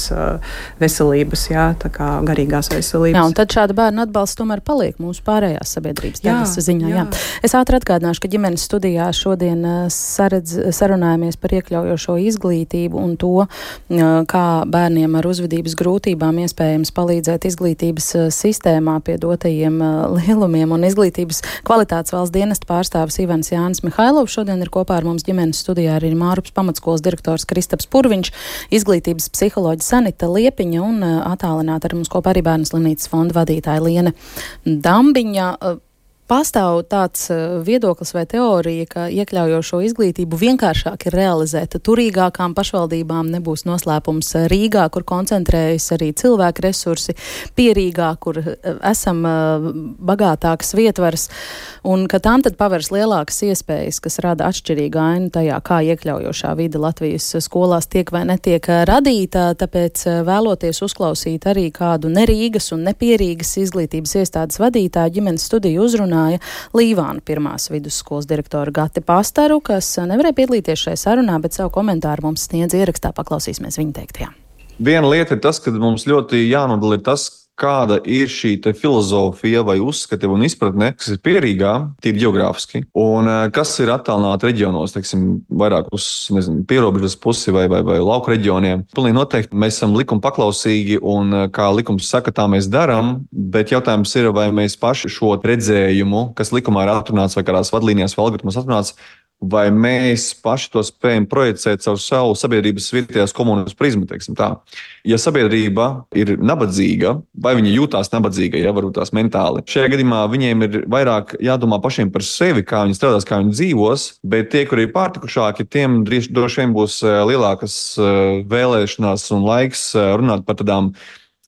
veselības, tā kā garīgās veselības. Jā, un tad šāda bērna atbalsts tomēr paliek mūsu pārējās sabiedrības daļas ziņā. Jā. Es ātri atgādināšu, ka ģimenes studijā šodien sarunājamies par iekļaujošo izglītību un to, kā bērniem ar uzvedības grūtībām iespējams palīdzēt izglītības sistēmā pie dotajiem lielumiem, un izglītības kvalitātes valsts dienesta pārstāvis Ivans Jānis Mihailovs šodien ir kopā ar mums ģimenes studijā arī Mārupas pamatskolas direktors Kristaps Purviņš, izglītības psiholoģa Sanita Liepiņa un attālināti ar mums kopā arī Bērnu slimnīcas fonda vadītāja Liene Dambiņa. Pastāv tāds viedoklis vai teorija, ka iekļaujošo izglītību vienkāršāk ir realizēt turīgākām pašvaldībām, nebūs noslēpums Rīgā, kur koncentrējas arī cilvēku resursi, pie Rīgā, kur esam bagātākas vietvaras, un ka tām tad pavērs lielākas iespējas, kas rada atšķirīgu ainu tajā, kā iekļaujošā vide Latvijas skolās tiek vai netiek radīta, tāpēc vēloties uzklausīt arī kādu ne Rīgas un ne pie Rīgas izglītības iestādes vadītāju ģimenes studiju uzrunāja Līvānu pirmās vidusskolas direktora Gati Pastaru, kas nevarēja piedalīties šajā sarunā, bet savu komentāru mums sniedz ierakstā. Paklausīsimies viņa teiktajā. Viena lieta ir tas, ka mums ļoti jānodala ir tas, kāda ir šī filozofija vai uzskati un izpratne, kas ir pierīgā, tīri ģeogrāfiski, un kas ir attālināti reģionos, vairāk uz pierobežas pusi vai lauku reģioniem. Pilnīgi noteikti mēs esam likuma paklausīgi, un kā likums saka, tā mēs darām, bet jautājums ir, vai mēs paši šo redzējumu, kas likumā ir atrunāts vai kādās vadlīnijās vai algoritmos atrunāts, vai mēs paši to spējam projicēt caur savu sabiedrības vietējās komunas prizmu, tā. Ja sabiedrība ir nabadzīga, vai viņi jūtās nabadzīga, varbūt tās mentāli, šajā gadījumā viņiem ir vairāk jādomā pašiem par sevi, kā viņi strādās, kā viņi dzīvos, bet tie, kuri ir pārtikušāki, tiem droši vien būs lielākas vēlēšanās un laiks runāt par tādām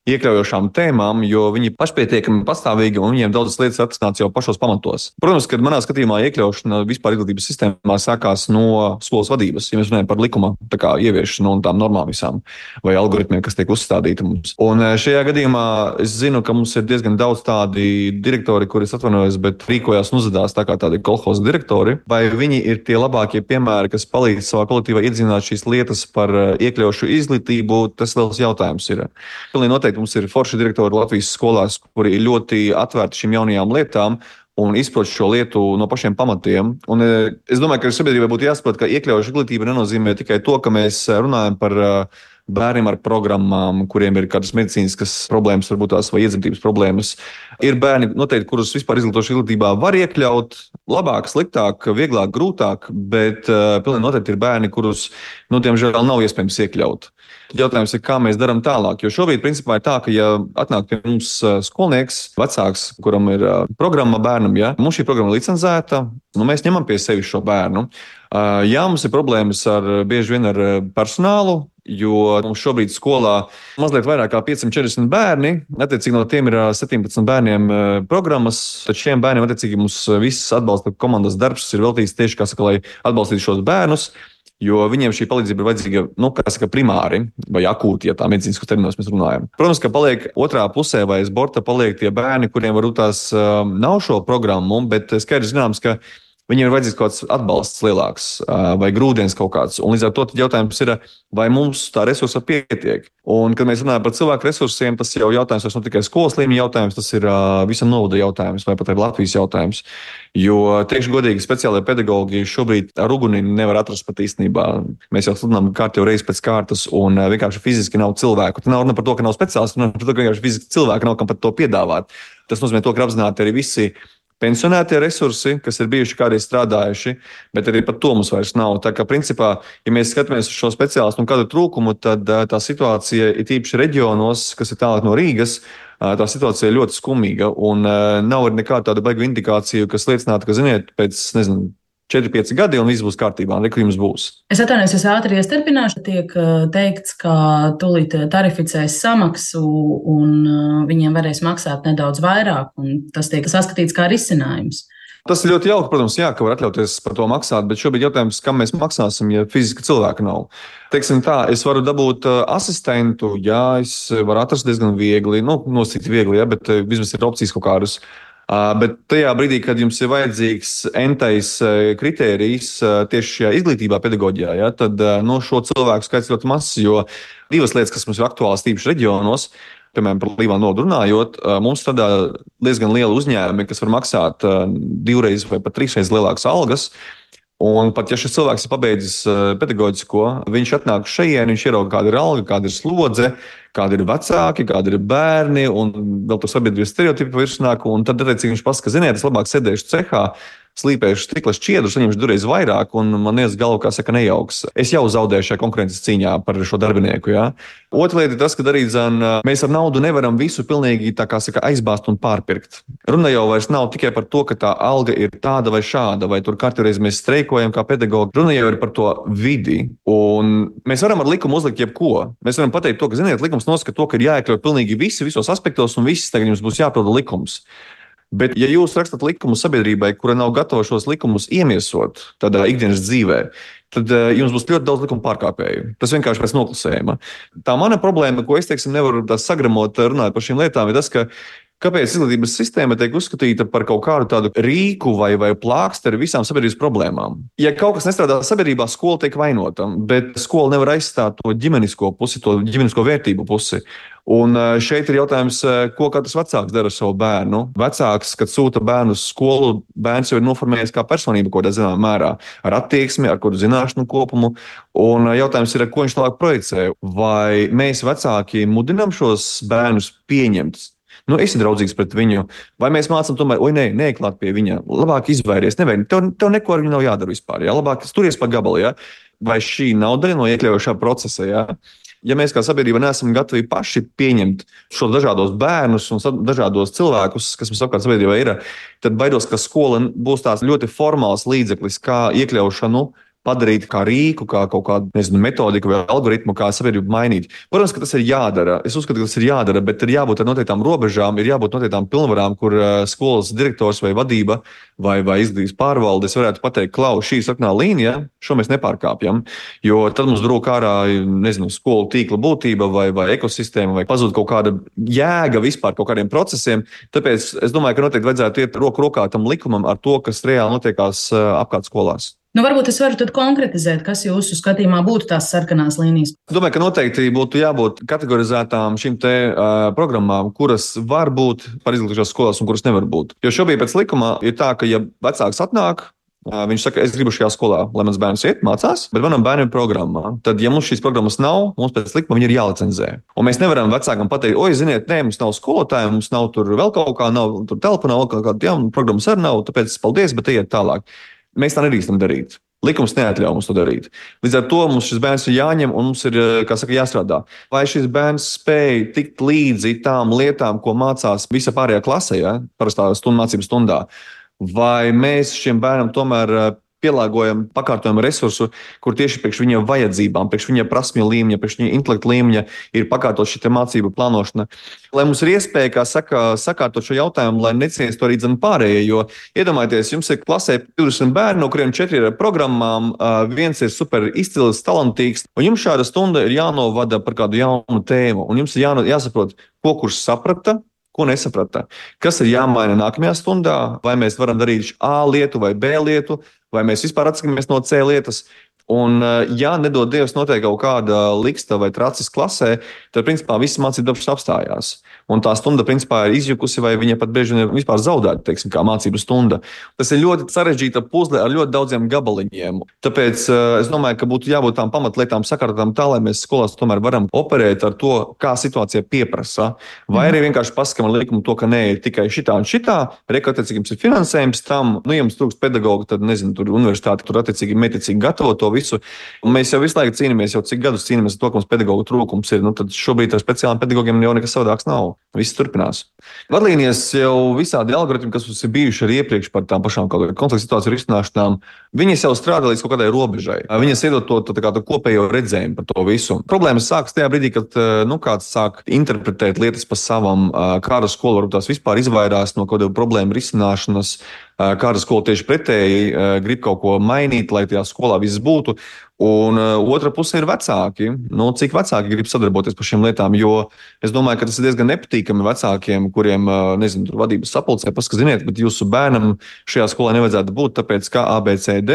iekļaujošām tēmām, jo viņi pašpietiekami pastāvīgi un viņiem daudzas lietas atrisināts jau pašos pamatos. Protams, ka manā skatījumā iekļaušana vispār izglītības sistēmā sākās no skolas vadības, ja mēs runājam par likuma ieviešanu un tām normām visām vai algoritmiem, kas tiek uzstādīti mums. Un šajā gadījumā es zinu, ka mums ir diezgan daudz tādi direktori, kuri atvainojas, bet rīkojās un uzvedās tā kā tādi kolhoza direktori, vai viņi ir tie labākie piemēri, kas palīdz savā kolektīvā iedzīvināt šīs lietas par iekļaujošu izglītību, tas liels jautājums ir. Pilnīgi noteikti mums ir forši direktori Latvijas skolās, kuri ir ļoti atvērti šīm jaunajām lietām un izprot šo lietu no pašiem pamatiem. Un es domāju, ka sabiedrībai būtu jāsaprot, ka iekļaujoša izglītība nenozīmē tikai to, ka mēs runājam par bērniem ar programmām, kuriem ir kādas medicīniskas problēmas, varbūt tās vai iedzimtības problēmas. Ir bērni, noteikti, kurus vispār izglītošanas izglītībā var iekļaut labāk, sliktāk, vieglāk, grūtāk, bet pilnīgi noteikti ir bērni, kurus, diemžēl, nav iespējams iekļaut. Jautājums ir, kā mēs darām tālāk, jo šobrīd principā ir tā, ka ja atnāk pie mums skolnieks, vecāks, kuram ir programma bērnam, ja, mums šī programma ir licencēta, mēs ņemam pie sevis šo bērnu. Jā, mums ir problēmas bieži vien ar personālu, jo mums šobrīd skolā mazliet vairāk kā 540 bērni, attiecīgi no tiem ir 17 bērniem programmas, tad šiem bērniem attiecīgi mums viss atbalsta komandas darbs ir veltīts tieši, lai atbalstītu šos bērnus, jo viņiem šī palīdzība ir vajadzīga, primāri vai akūti, ja tā medicīniskos terminos mēs runājam. Protams, ka paliek otrā pusē vai aiz borta paliek tie bērni, kuriem varbūt tās nav šo programmu, bet skaidrs zināms, ka viņiem ir vajadzīgs kaut kāds atbalsts lielāks vai grūdienis kaut kāds. Un līdz ar to jautājums ir, vai mums tā resursa pietiek. Un, kad mēs runājam par cilvēku resursiem, tas jau jautājums vairs nav tikai skolas līmeņa jautājums, tas ir visam novada jautājums vai pat arī Latvijas jautājums. Jo, teikšu godīgi, speciālajie pedagoģi šobrīd ar uguni nevar atrast pat īstenībā. Mēs jau sludinām kārtīgi reizi pēc kārtas un vienkārši fiziski nav cilvēku. Tā nav runa par to, ka nav speciālisti, runa par to, ka vienkārši fiziski cilvēki nav kam pat to piedāvāt. Tas nozīmē to, ka apzināti arī visi pensionētie resursi, kas ir bijuši kādreiz strādājuši, bet arī par to mums vairs nav. Tā kā principā, ja mēs skatāmies uz šo speciālistu un kādu trūkumu, tad tā situācija ir tīpaši reģionos, kas ir tālāk no Rīgas, tā situācija ir ļoti skumīga un nav arī nekāda tāda baiga indikācija, kas liecinātu, ka, ziniet, pēc, 4-5 gadi un viss būs kārtībā, un kur jums būs. Es atvainojos, es ātri iestarpināšu. Tiek teikts, ka tūlīt tarificēs samaksu un viņiem varēs maksāt nedaudz vairāk, un tas tiek saskatīts kā risinājums. Tas ir ļoti jauki, protams, jā, ka var atļauties par to maksāt, bet šobrīd jautājums, kam mēs maksāsim, ja fiziski cilvēka nav. Teiksim tā, es varu dabūt asistentu, jā, es varu atrast diezgan viegli, nosīt viegli, jā, bet vismaz ir opcijas kaut kādas. Bet tajā brīdī, kad jums ir vajadzīgs entais kritērijs tieši šajā izglītībā, pedagoģijā, ja, tad šo cilvēku skaits ļoti mazs, jo divas lietas, kas mums ir aktuālas tīpaši reģionos, piemēram, par Līvānu nodu runājot, mums strādā diezgan liela uzņēmumi, kas var maksāt 2 vai pat 3 reizes lielākas algas. Un pat ja šis cilvēks ir pabeidzis pedagoģisko, viņš atnāk šeit, viņš ierauga, kāda ir alga, kāda ir slodze, kādi ir vecāki, kādi ir bērni, un vēl tur sabiedrības stereotipi virsnāk, un tad, attiecīgi, viņš pasaka, ziniet, es labāk sēdēšu cehā, slīpēšu stikla šķiedrus, saņemšu divreiz vairāk, un man ies galva, kā saka, nejauks. Es jau zaudēju šajā konkurences cīņā par šo darbinieku. Ja? Otra lieta ir tas, ka arī mēs ar naudu nevaram visu pilnīgi aizbāzt un pārpirkt. Runa jau vairs nav tikai par to, ka tā alga ir tāda vai šāda, vai tur katreiz mēs streikojam kā pedagogi. Runa jau ir par to vidi, un mēs varam ar likumu uzlikt jebko. Mēs varam pateikt to, ka, ziniet, likums nosaka to, ka ir jāiekļaut pilnīgi visi, visos aspektos, un viss tagad jums būs jāpilda likums. Bet, ja jūs rakstat likumu sabiedrībai, kura nav gatava šos likumus iemiesot tādā ikdienas dzīvē, tad jums būs ļoti daudz likuma pārkāpēju. Tas vienkārši pēc noklusējuma. Tā mana problēma, ko es nevaru sagramot runāt par šīm lietām, ir tas, ka kāpēc izglītības sistēma tiek uzskatīta par kaut kādu tādu rīku vai plāksteri visām sabiedrības problēmām. Ja kaut kas nestrādā sabiedrībā, skola tiek vainota, bet skola nevar aizstāt to ģimenisko pusi, to ģimenisko vērtību pusi. Un šeit ir jautājums, ko katrs vecāks dara ar savu bērnu. Vecāks, kad sūta bērnu uz skolu, bērns jau ir noformējies kā personība kaut kādā zināmā mērā, ar attieksmi, ar kādu zināšanu kopumu. Un jautājums ir, ko viņš tālāk projicē. Vai mēs vecāki mudinām šos bērnus pieņemt? Esi draudzīgs pret viņu, vai mēs mācām tomēr, neieklāt pie viņa, labāk izvairies, tev neko ar viņu nav jādara vispār, jā? Labāk turies pa gabalu, jā? Vai šī nav daļa no iekļaujošā procesa, jā? Ja mēs kā sabiedrība neesam gatavi paši pieņemt šos dažādos bērnus un dažādos cilvēkus, kas mums apkārt sabiedrībā ir, tad baidos, ka skola būs tās ļoti formāls līdzeklis, kā iekļaušanu padarīt kā rīku, kā kaut kādu metodiku vai algoritmu, kā sabiedrību mainīt. Protams, ka tas ir jādara. Es uzskatu, ka tas ir jādara, bet ir jābūt ar noteiktām robežām, ir jābūt noteiktām pilnvarām, kur skolas direktors vai vadība vai izglītības pārvaldes varētu pateikt, klau, šī sarkanā līnija, šo mēs nepārkāpjam, jo tad mums drūk ārā, skolu tīkla būtība vai ekosistēma, vai pazūd kaut kāda jēga vispār kaut kādiem procesiem. Tāpēc es domāju, ka noteikti vajadzētu iet roku rokā tam likumam ar to, kas reāli notiekās apkārt skolās. Varbūt es varu tad konkretizēt, kas jūsu skatījumā būtu tās sarkanās līnijas. Domāju, ka noteikti būtu jābūt kategorizētām šīm programmām, kuras var būt par izglītošanās skolās un kuras nevar būt. Jo šobrīd pēc likuma ir tā, ka ja vecāks atnāk, viņš saka, es gribu šajā skolā, lai mans bērns iet, mācās, bet manam bērnam ir programmā. Tad, ja mums šīs programmas nav, mums pēc likuma viņi ir jālicenzē. Un mēs nevaram vecākam pateikt, oi, ziniet, nē, mums nav skolotāji, mums nav tur vēl kaut kā, nav tur telpa, nav kaut kāda, jā, programmas arī nav, tāpēc paldies, bet ejiet tālāk. Mēs tā nedrīkstam darīt. Likums neatļauj mums to darīt. Līdz ar to mums šis bērns ir jāņem un mums ir, kā saka, jāstrādā. Vai šis bērns spēj tikt līdzi tām lietām, ko mācās visa pārējā klasē, ja? Parastā mācību stundā? Vai mēs šiem bērnam tomēr pielāgojam, pakārtojam resursu, kur tieši priekš viņa vajadzībām, priekš viņa prasmju līmeņa, priekš viņa intelekta līmeņa ir pakārtot šī mācību plānošana. Lai mums ir iespēja, kā saka, sakārtot šo jautājumu, lai neciestu arī pārējie, jo iedomājieties, jums ir klasē 20 bērni, no kuriem 4 ir ar programmām, viens ir super izcils, talantīgs, un jums šāda stunda ir jānovada par kādu jaunu tēmu, un jums ir jāsaprot, ko kurš saprata, ko nesaprata. Kas ir jāmaina nākamajā stundā, vai mēs varam darīt A lietu vai B lietu, vai mēs vispār atsakamies no C lietas. Un, ja nedod Dievs notiek kaut kāda liksta vai tracis klasē, tad, principā, viss mācību darbs apstājās. Un tā stunda, principā, ir izjukusi, vai viņa pat bieži ir vispār zaudēta, teiksim, kā mācību stunda. Tas ir ļoti sarežģīta puzle ar ļoti daudziem gabaliņiem. Tāpēc es domāju, ka būtu jābūt tām pamatlietām sakārtotām tā, lai mēs skolās tomēr varam operēt ar to, kā situācija pieprasa. Vai arī vienkārši pasakam ar likumu to, ka nē, ir tikai šitā un šitā, attiecīgi jums ir finansējums tam, ja jums trūkst pedagoga, tad, nezinu, tur universitāte tur attiecīgi mērķiecīgi gatavo to visu. Un mēs jau visu laiku cīnāmies, jau cik gadus cīnāmies ar to, ka mums pedagogu trūkums ir. Tad šobrīd ar speciāliem pedagogiem jau nekas savādāks nav. Viss turpinās. Vadlīnijas jau visādi algoritmi, kas mums ir bijuši arī iepriekš par tām pašām kaut kādām konflikta situāciju risināšanām, viņas jau strādā līdz kaut kādai robežai. Viņas iedod to kopējo redzējumu par to visu. Problēmas sākas tajā brīdī, kad kāds sāk interpretēt lietas pa savam, kāda skola varbūt tās vispār izvairās no kaut kādu problēmu risināšanas, kāda skola tieši pretēji grib kaut ko mainīt, lai tajā skolā viss būtu. Un otra puse ir vecāki. Cik vecāki grib sadarboties par šīm lietām, jo es domāju, ka tas ir diezgan nepatīkami vecākiem, kuriem, nezinu, tur vadības sapulcē pasaka, ziniet, bet jūsu bērnam šajā skolā nevajadzētu būt, tāpēc kā ABCD,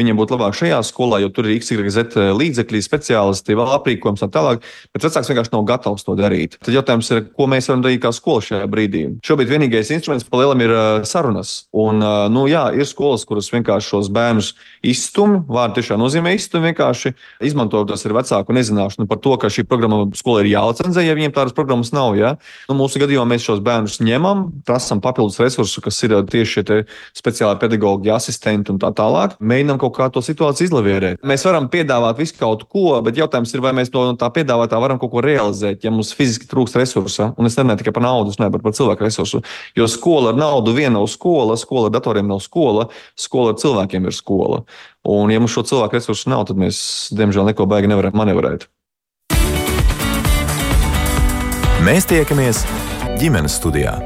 viņiem būtu labāk šajā skolā, jo tur ir XYZ līdzekļi, speciālisti, vēl aprīkojums un tālāk, bet vecāks vienkārši nav gatavs to darīt. Tad jautājums ir, ko mēs varam darīt kā skola šajā brīdī. Šobrīd vienīgais instruments pa lielam ir sarunas. Un, jā, ir skolas, kuras vienkārši šos bērnus izstumj, vārdu tiešām nozīmē izstumj, vienkārši izmantojot tas ar vecāku nezināšanu par to, ka šī programma skolā ir jālicenzē, ja viņiem tādas programmas nav. Ja? Mūsu gadījumā mēs šos bērnus ņemam, prasam papildus resursu, kas ir tieši šie speciāli pedagoģi, asistenti un tā tālāk. Mēģinām kaut kā to situāciju izlavierēt. Mēs varam piedāvāt visu kaut ko, bet jautājums ir, vai mēs no tā piedāvātā varam kaut ko realizēt, ja mums fiziski trūkst resursa. Un es nerunāju tikai par naudu, es runāju par cilvēku resursu. Jo skola ar naudu viena nav skola, skola ar datoriem nav skola, skola ar cilvēkiem ir skola. Un, ja mums šo cilvēku resursu nav, tad mēs, diemžēl, neko baigi nevaram manevrēt. Mēs tiekamies ģimenes studijā.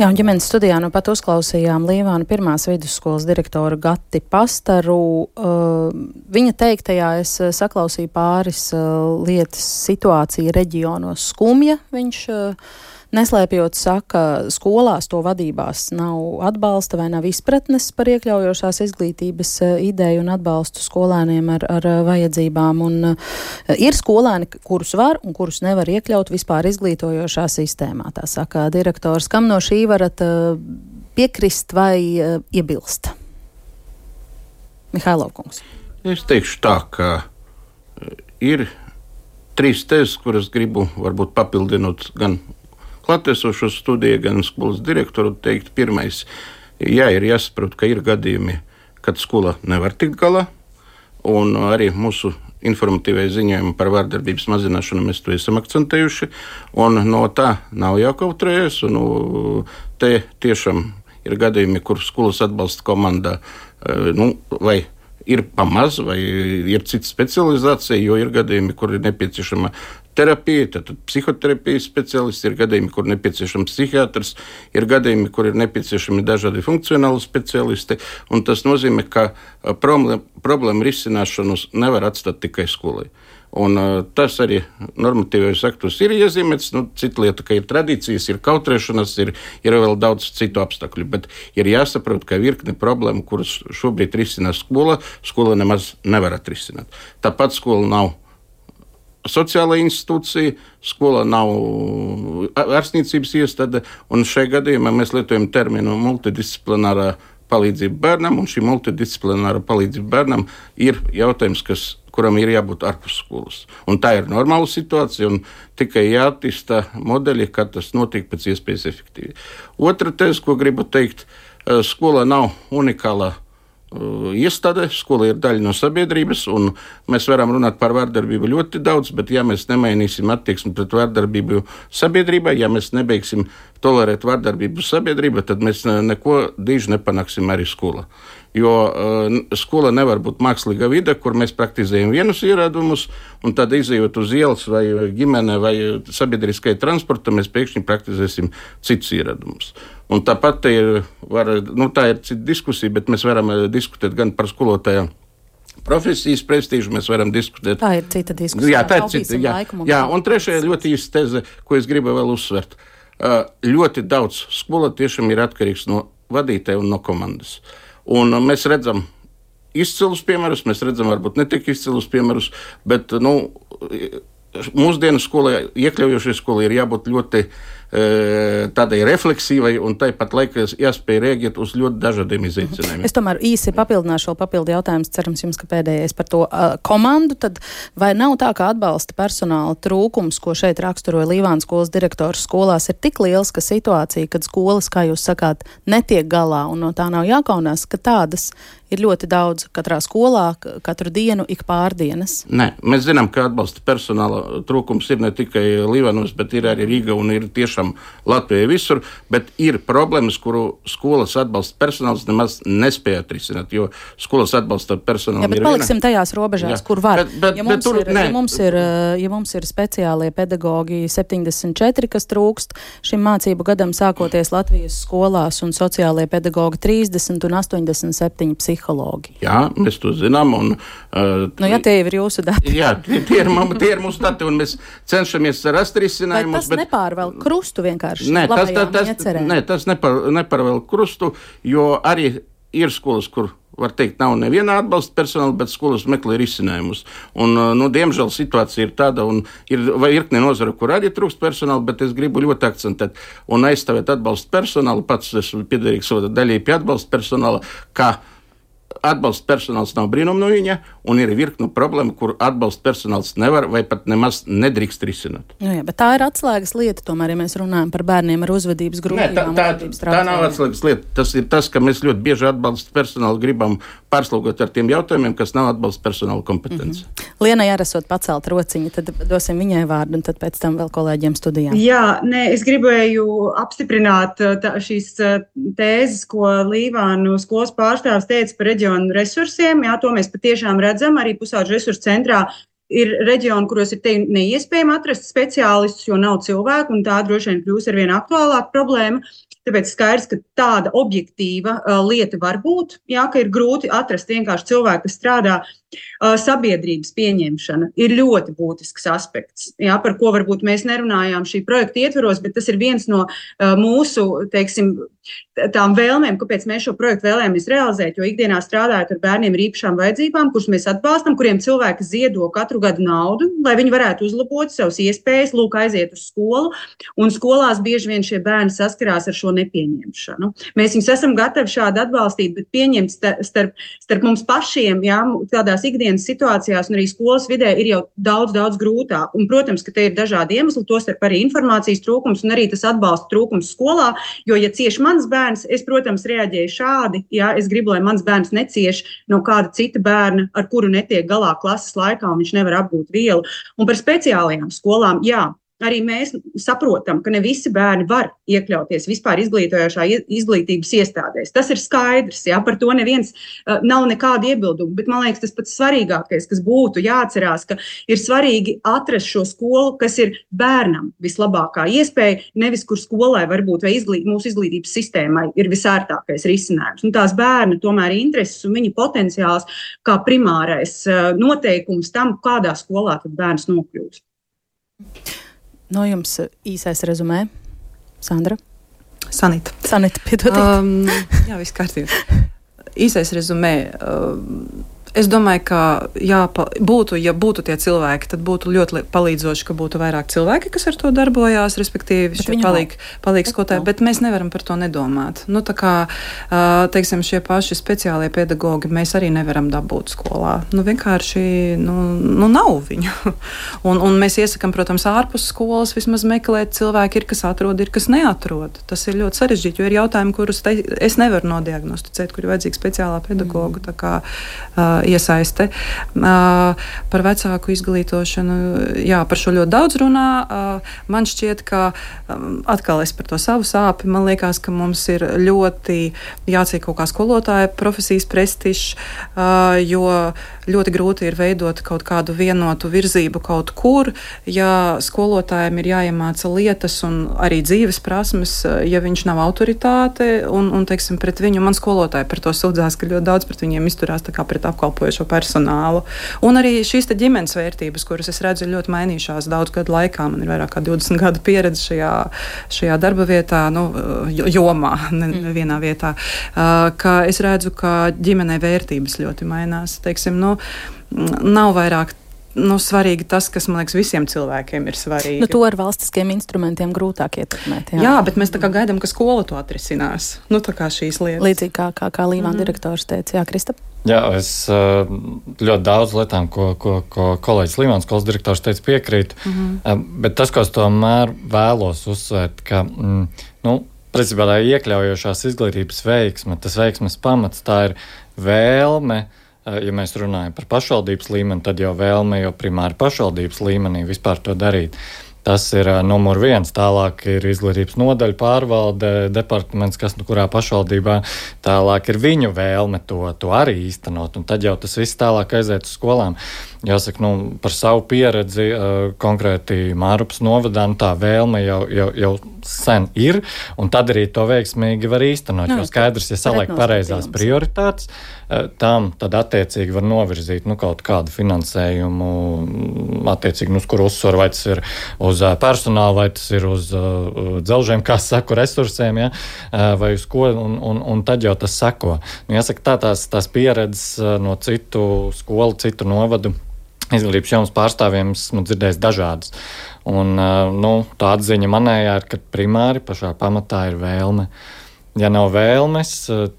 Jā, un ģimenes studijā pat uzklausījām Līvānu pirmās vidusskolas direktoru Gati Pastaru. Viņa teiktajā es saklausīju pāris lietas situācija reģionos skumja. Viņš neslēpjot saka, skolās to vadībās nav atbalsta vai nav izpratnes par iekļaujošās izglītības ideju un atbalstu skolēniem ar vajadzībām. Un ir skolēni, kurus var un kurus nevar iekļaut vispār izglītojošā sistēmā. Tā saka direktors. Kam no šī varat piekrist vai iebilst? Mihailov kungs. Es teikšu tā, ka ir 3 tezes, kuras gribu varbūt papildinot gan klātesošo studiju, gan skolas direktoru teikt. Pirmais, jā, ir jāsaprot, ka ir gadījumi, kad skola nevar tikt galā, un arī mūsu informatīvai ziņojumi par vārdarbības mazināšanu mēs to esam akcentējuši, un no tā nav jākautrējas, un te tiešām ir gadījumi, kur skolas atbalsta komandā, vai ir pamaz, vai ir cita specializācija, jo ir gadījumi, kur ir nepieciešama terapija, tad psihoterapijas speciālisti, ir gadījumi, kur ir nepieciešams psihiatrs, ir gadījumi, kur ir nepieciešami dažādi funkcionāli speciālisti, un tas nozīmē, ka problēmu risināšanu nevar atstāt tikai skolai. Un tas arī normatīvajos aktos ir iezīmēts. Cita lieta, ka ir tradīcijas, ir kautrēšanas, ir vēl daudz citu apstākļu, bet ir jāsaprot, ka virkne problēmu, kuras šobrīd risinās skola nemaz nevar atrisināt. Tāpat skola nav sociāla institūcija, skola nav ārstniecības iestāde, un šajā gadījumā mēs lietojam terminu multidisciplinārā palīdzība bērnam, un šī multidisciplināra palīdzība bērnam ir jautājums, kuram ir jābūt ārpus skolas. Un tā ir normāla situācija, un tikai jāattīsta modeļi, kā tas notiek pēc iespējas efektīvi. Otra tēze, ko gribu teikt, skola nav unikāla iestāde, skola ir daļa no sabiedrības, un mēs varam runāt par vārdarbību ļoti daudz, bet ja mēs nemainīsim attieksmi pret vārdarbību sabiedrībā, ja mēs nebeigsim tolerēt vārdarbību sabiedrībā, tad mēs neko diži nepanāksim arī skolā. Jo skola nevar būt mākslīga vide, kur mēs praktizējam vienus ieradumus, un tad izejot uz ielas vai ģimene vai sabiedriskai transporta, mēs pēkšņi praktizēsim citus ieradumus. Un tāpat tā ir cita diskusija, bet mēs varam diskutēt gan par skolotāju profesijas prestīžu, mēs varam diskutēt. Tā ir cita diskusija. Jā, tā ir cita. Jā, un trešajā ļoti īsta teze, ko es gribu vēl uzsvert. Ļoti daudz skola tiešām ir atkarīgs no vadītāja un no komandas. Un mēs redzam izcilus piemērus, mēs redzam varbūt ne tik izcilus piemērus, bet mūsdienu skolai, iekļaujošai skolai ir jābūt ļoti tādai refleksīvai un tāpat laikā jāspēj rēģēt uz ļoti dažādiem izaicinājumiem. Es tomēr īsi papildināšu vēl papildu jautājumus, cerams jums, ka pēdējais par to komandu, tad vai nav tā, ka atbalsta personāla trūkums, ko šeit raksturoja Līvānu skolas direktors skolās, ir tik liels, ka situācija, kad skolas, kā jūs sakāt, netiek galā un no tā nav jākaunās, ka tādas ir ļoti daudz katrā skolā, katru dienu, ik pārdienas? Nē, mēs zinām, ka atbalsta personāla trūkums ir ne tikai Līvānos, bet ir arī Rīga un ir tiešām Latvijā visur, bet ir problēmas, kuru skolas atbalsta personāls nemaz nespēja atrisināt, jo skolas atbalsta personālam ir viena. Jā, bet paliksim tajās robežās, kur var. Ja mums ir speciālie pedagogi 74, kas trūkst šim mācību gadam sākoties Latvijas skolās, un sociālie pedagogi 30 un 87 psihologi. Jā, mēs to zinām. Un, ja tie ir jūsu dati. Jā, tie ir mūsu dati, un mēs cenšamies rast risinājumus. Vai tas nepārvēl krustu vienkārši? Tas nepārvēl krustu, jo arī ir skolas, kur, var teikt, nav neviena atbalsta personāla, bet skolas meklē risinājumus. Un, diemžēl situācija ir tāda, un ir virkne nozara, kur arī trūkst personāla, bet es gribu ļoti akcentēt un aizstāvēt atbalsta personālu. Pats esmu piederīgs daļai pie atbalsta personāla, kā atbalsta personāls nav brīnum no viņa, un ir virknu problēma, kur atbalsta personāls nevar vai pat nemaz nedrīkst risināt. Jā, bet tā ir atslēgas lieta, tomēr, ja mēs runājam par bērniem ar uzvedības grūtībām. Tā nav atslēgas lieta. Tas ir tas, ka mēs ļoti bieži atbalsta personālu gribam pārslogot ar tiem jautājumiem, kas nav atbalsta personāla kompetence. Lienai arī esot pacelt rociņu, tad dosim viņai vārdu, un tad pēc tam vēl kolēģiem studijām. Jā, es gribēju apstiprināt šīs tēzes, ko Līvānu skolas pārstāvs teica par reģionu resursiem. Jā, to mēs patiešām redzam. Arī Pusauģu resursu centrā ir reģioni, kuros ir neiespējami atrast speciālistus, jo nav cilvēku, un tā droši vien kļūs arvien aktuālāka problēma. Tāpēc skaidrs, ka tāda objektīva lieta var būt, jā, ka ir grūti atrast vienkārši cilvēku, kas strādā. Sabiedrības pieņemšana ir ļoti būtisks aspekts, jā, par ko varbūt mēs nerunājām šī projekta ietveros, bet tas ir viens no mūsu, tām vēlmēm, kāpēc mēs šo projektu vēlējāmies realizēt, jo ikdienā strādājot ar bērniem ar īpašām vajadzībām, kurus mēs atbalstam, kuriem cilvēki ziedo katru gadu naudu, lai viņi varētu uzlabot savas iespējas, aiziet uz skolu, un skolās bieži vien šie bērni saskarās ar šo nepieņemšanu. Mēs viņus esam gatavi šādi atbalstīt, bet pieņemt starp mums pašiem, jā, tādās ikdienas situācijās un arī skolas vidē ir jau daudz grūtāk. Un, protams, ka te ir dažādi iemesli, tostarp arī informācijas trūkums un arī tas atbalsta trūkums skolā, jo, ja cieši mans bērns, es, protams, reaģēju šādi, jā, es gribu, lai mans bērns necieš no kāda cita bērna, ar kuru netiek galā klases laikā un viņš nevar apgūt vielu. Un par speciālajām skolām, jā. Arī mēs saprotam, ka ne visi bērni var iekļauties vispār izglītojošā izglītības iestādēs. Tas ir skaidrs, jā, par to neviens nav nekāda iebilduma, bet man liekas, tas pats svarīgākais, kas būtu jāatcerās, ka ir svarīgi atrast šo skolu, kas ir bērnam vislabākā iespēja, nevis kur skolai varbūt vai mūsu izglītības sistēmai ir visērtākais risinājums. Un tās bērna tomēr intereses un viņa potenciāls kā primārais noteikums tam, kādā skolā tad bērns nokļūst. No jums īsais rezumē, Sandra? Sanita, piedodiet. Jā, viss kārtībā. Īsais rezumē. Es domāju, ka ja būtu tie cilvēki, tad būtu ļoti palīdzoši, ka būtu vairāk cilvēki, kas ar to darbojās, respektīvi šie palīgs skolotāji, bet mēs nevaram par to nedomāt. Nu, tā kā, teiksim, šie paši speciālie pedagogi mēs arī nevaram dabūt skolā. Nu, vienkārši, nav viņu. Un mēs iesakam, protams, ārpus skolas vismaz meklēt cilvēki, ir kas atrod, ir kas neatrod. Tas ir ļoti sarežģīti, jo ir jautājumi, kurus es nevaru nodiagnosticēt, kur ir vajadzīga speciālā pedagoga, tā kā iesaiste. Par vecāku izglītošanu, par šo ļoti daudz runā. Man šķiet, ka atkal es par to savu sāpi, man liekas, ka mums ir ļoti jācīk kaut kā skolotāja profesijas prestižs, jo ļoti grūti ir veidot kaut kādu vienotu virzību kaut kur, ja skolotājiem ir jāiemāca lietas un arī dzīves prasmes, ja viņš nav autoritāte un teiksim, pret viņu man skolotāji par to sūdzās, ka ļoti daudz pret viņiem izturās tā kā pret apkalpojošo personālu. Un arī šīs te ģimenes vērtības, kuras es redzu, ir ļoti mainījušās daudz gadu laikā. Man ir vairāk kā 20 gadu pieredze šajā darba vietā, jomā, nevienā vietā, ka es redzu, ka ģimenei vērtības ļoti mainās. Teiksim, nav vairāk svarīgi tas, kas, man liekas, visiem cilvēkiem ir svarīgi. To ar valstiskiem instrumentiem grūtāk ietekmēt. Jā, bet mēs tā kā gaidām, ka skola to atrisinās. Tā kā šīs lietas. Līdzīgi kā Līvāna direktors teica. Jā, Kristap? Jā, es ļoti daudz lietām, ko kolēģis Līvāns skolas direktors teica, piekrītu. Bet tas, ko es tomēr vēlos uzsvērt, ka, principā tā iekļaujošās izglītības veiksme, tas veiksmes pamats, tā ir vēlme. Ja mēs runājam par pašvaldības līmeni, tad jau vēlme jau primāri pašvaldības līmenī vispār to darīt. Tas ir numur 1, tālāk ir izglītības nodaļa, pārvalde, departaments, kurā pašvaldībā, tālāk ir viņu vēlme to arī īstenot, un tad jau tas viss tālāk aiziet uz skolām. Jāsaka, par savu pieredzi konkrēti Mārupas novadā, tā vēlme jau sen ir, un tad arī to veiksmīgi var īstenot, jo skaidrs, ja saliek pareizās prioritātes, tam tad attiecīgi var novirzīt kaut kādu finansējumu, attiecīgi, uz kuru uzsvaru, vai tas ir uz personālu, vai tas ir uz dzelžiem, kā saku, resursiem, ja? Vai uz ko, un tad jau tas seko. Jāsaka, tās pieredzes no citu skolu, citu novadu izglītības jomas pārstāvjiem esmu dzirdējis dažādas. Un tā atziņa manējā ir, ka primāri pašā pamatā ir vēlme. Ja nav vēlmes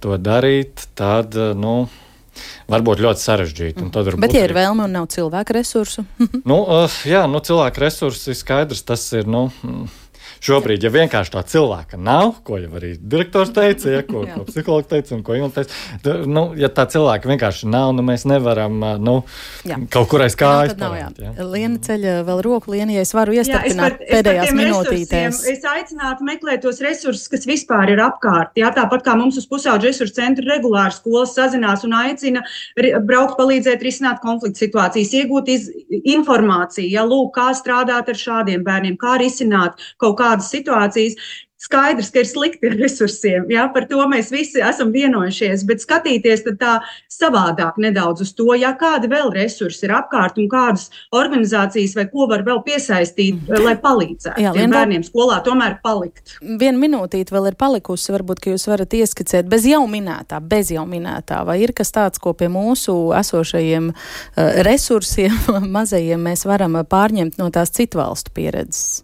to darīt, tad, varbūt ļoti sarežģīti. Bet ja ir vēlme un nav cilvēku resursu? Cilvēku resursi ir skaidrs, tas ir, šobrīd, ja vienkārši tā cilvēka nav, ko jau arī direktors teica, ko psihologs teica un ko Ilma teica, ja tā cilvēka vienkārši nav, mēs nevaram kaut kur aiz kājas parēt. Liena ceļa vēl roku, Liena, ja es varu iestarpināt pēdējās minūtītēs. Es aicinātu meklēt tos resursus, kas vispār ir apkārt. Jā, tāpat kā mums uz Pusauģu resursu centru regulāri skolas sazinās un aicina braukt palīdzēt risināt konfliktu situācijas, iegūt informāciju, kā strādāt ar šādiem bērniem, kā risināt kaut kādas situācijas. Skaidrs, ka ir slikti ar resursiem, par to mēs visi esam vienojušies, bet skatīties tad tā savādāk nedaudz uz to, kādi vēl resursi ir apkārt un kādas organizācijas vai ko var vēl piesaistīt, lai palīdzētu bērniem skolā tomēr palikt. 1 minūtīte vēl ir palikusi, varbūt, ka jūs varat ieskicēt bez jau minētā, vai ir kas tāds, ko pie mūsu esošajiem resursiem mazajiem mēs varam pārņemt no tās citu valstu pieredzes?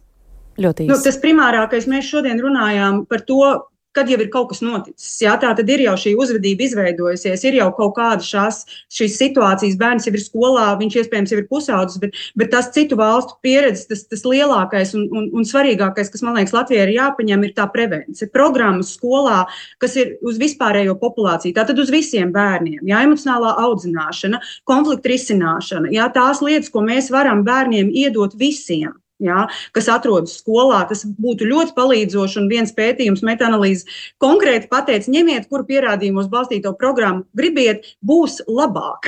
Tas primārākais, mēs šodien runājām par to, kad jau ir kaut kas noticis. Tā tad ir jau šī uzvedība izveidojusies, ir jau kaut kāda šīs situācijas, bērns jau ir skolā, viņš iespējams jau ir pusaudzis, bet tas citu valstu pieredzes, tas lielākais un svarīgākais, kas, man liekas, Latvijai ir jāpaņem, ir tā prevencija. Programmas skolā, kas ir uz vispārējo populāciju, tātad uz visiem bērniem, emocionālā audzināšana, konflikta risināšana, tās lietas, ko mēs varam bērniem iedot visiem. Kas atrodas skolā, tas būtu ļoti palīdzoši, un viens pētījums, metaanalīze konkrēti pateica, ņemiet, kuru pierādījumos balstīto programmu gribiet, būs labāk.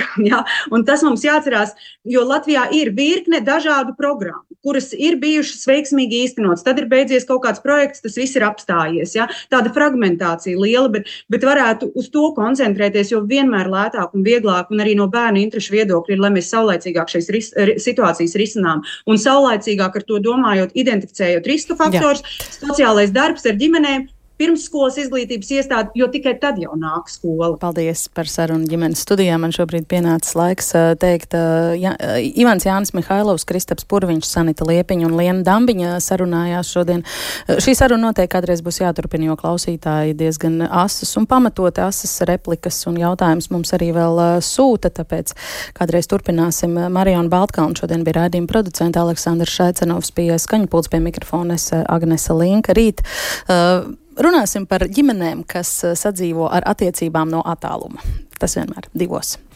Un tas mums jāatcerās, jo Latvijā ir virkne dažādu programmu, kuras ir bijušas veiksmīgi īstenotas, tad ir beidzies kaut kāds projekts, tas viss ir apstājies. Tāda fragmentācija liela, bet varētu uz to koncentrēties, jo vienmēr lētāk un vieglāk, un arī no bērnu interešu viedokļa ir, lai mēs saulaicīgāk šīs situācijas risinām, un saulaicīgāk ar to domājot, identificējot riska faktors, sociālais darbs ar ģimenēm, pirmsskolas izglītības iestāde, jo tikai tad jau nāk skola. Paldies par sarunu ģimenes studijā. Man šobrīd pienācis laiks teikt Ivans Jānis Mihailovs, Kristaps Purviņš, Sanita Liepiņa un Liena Dambiņa sarunājās šodien. Šī saruna noteikti kādreiz būs jāturpina, jo klausītāji diezgan asas un pamatoti asas replikas un jautājums mums arī vēl sūta, tāpēc kādreiz turpināsim. Mariona Baltkalna šodien bija raidījuma producenta, Aleksandrs Šaicenovs pie skaņpults, pie mikrofona Agnese Linka. Rīt runāsim par ģimenēm, kas sadzīvo ar attiecībām no attāluma. Tas vienmēr 2.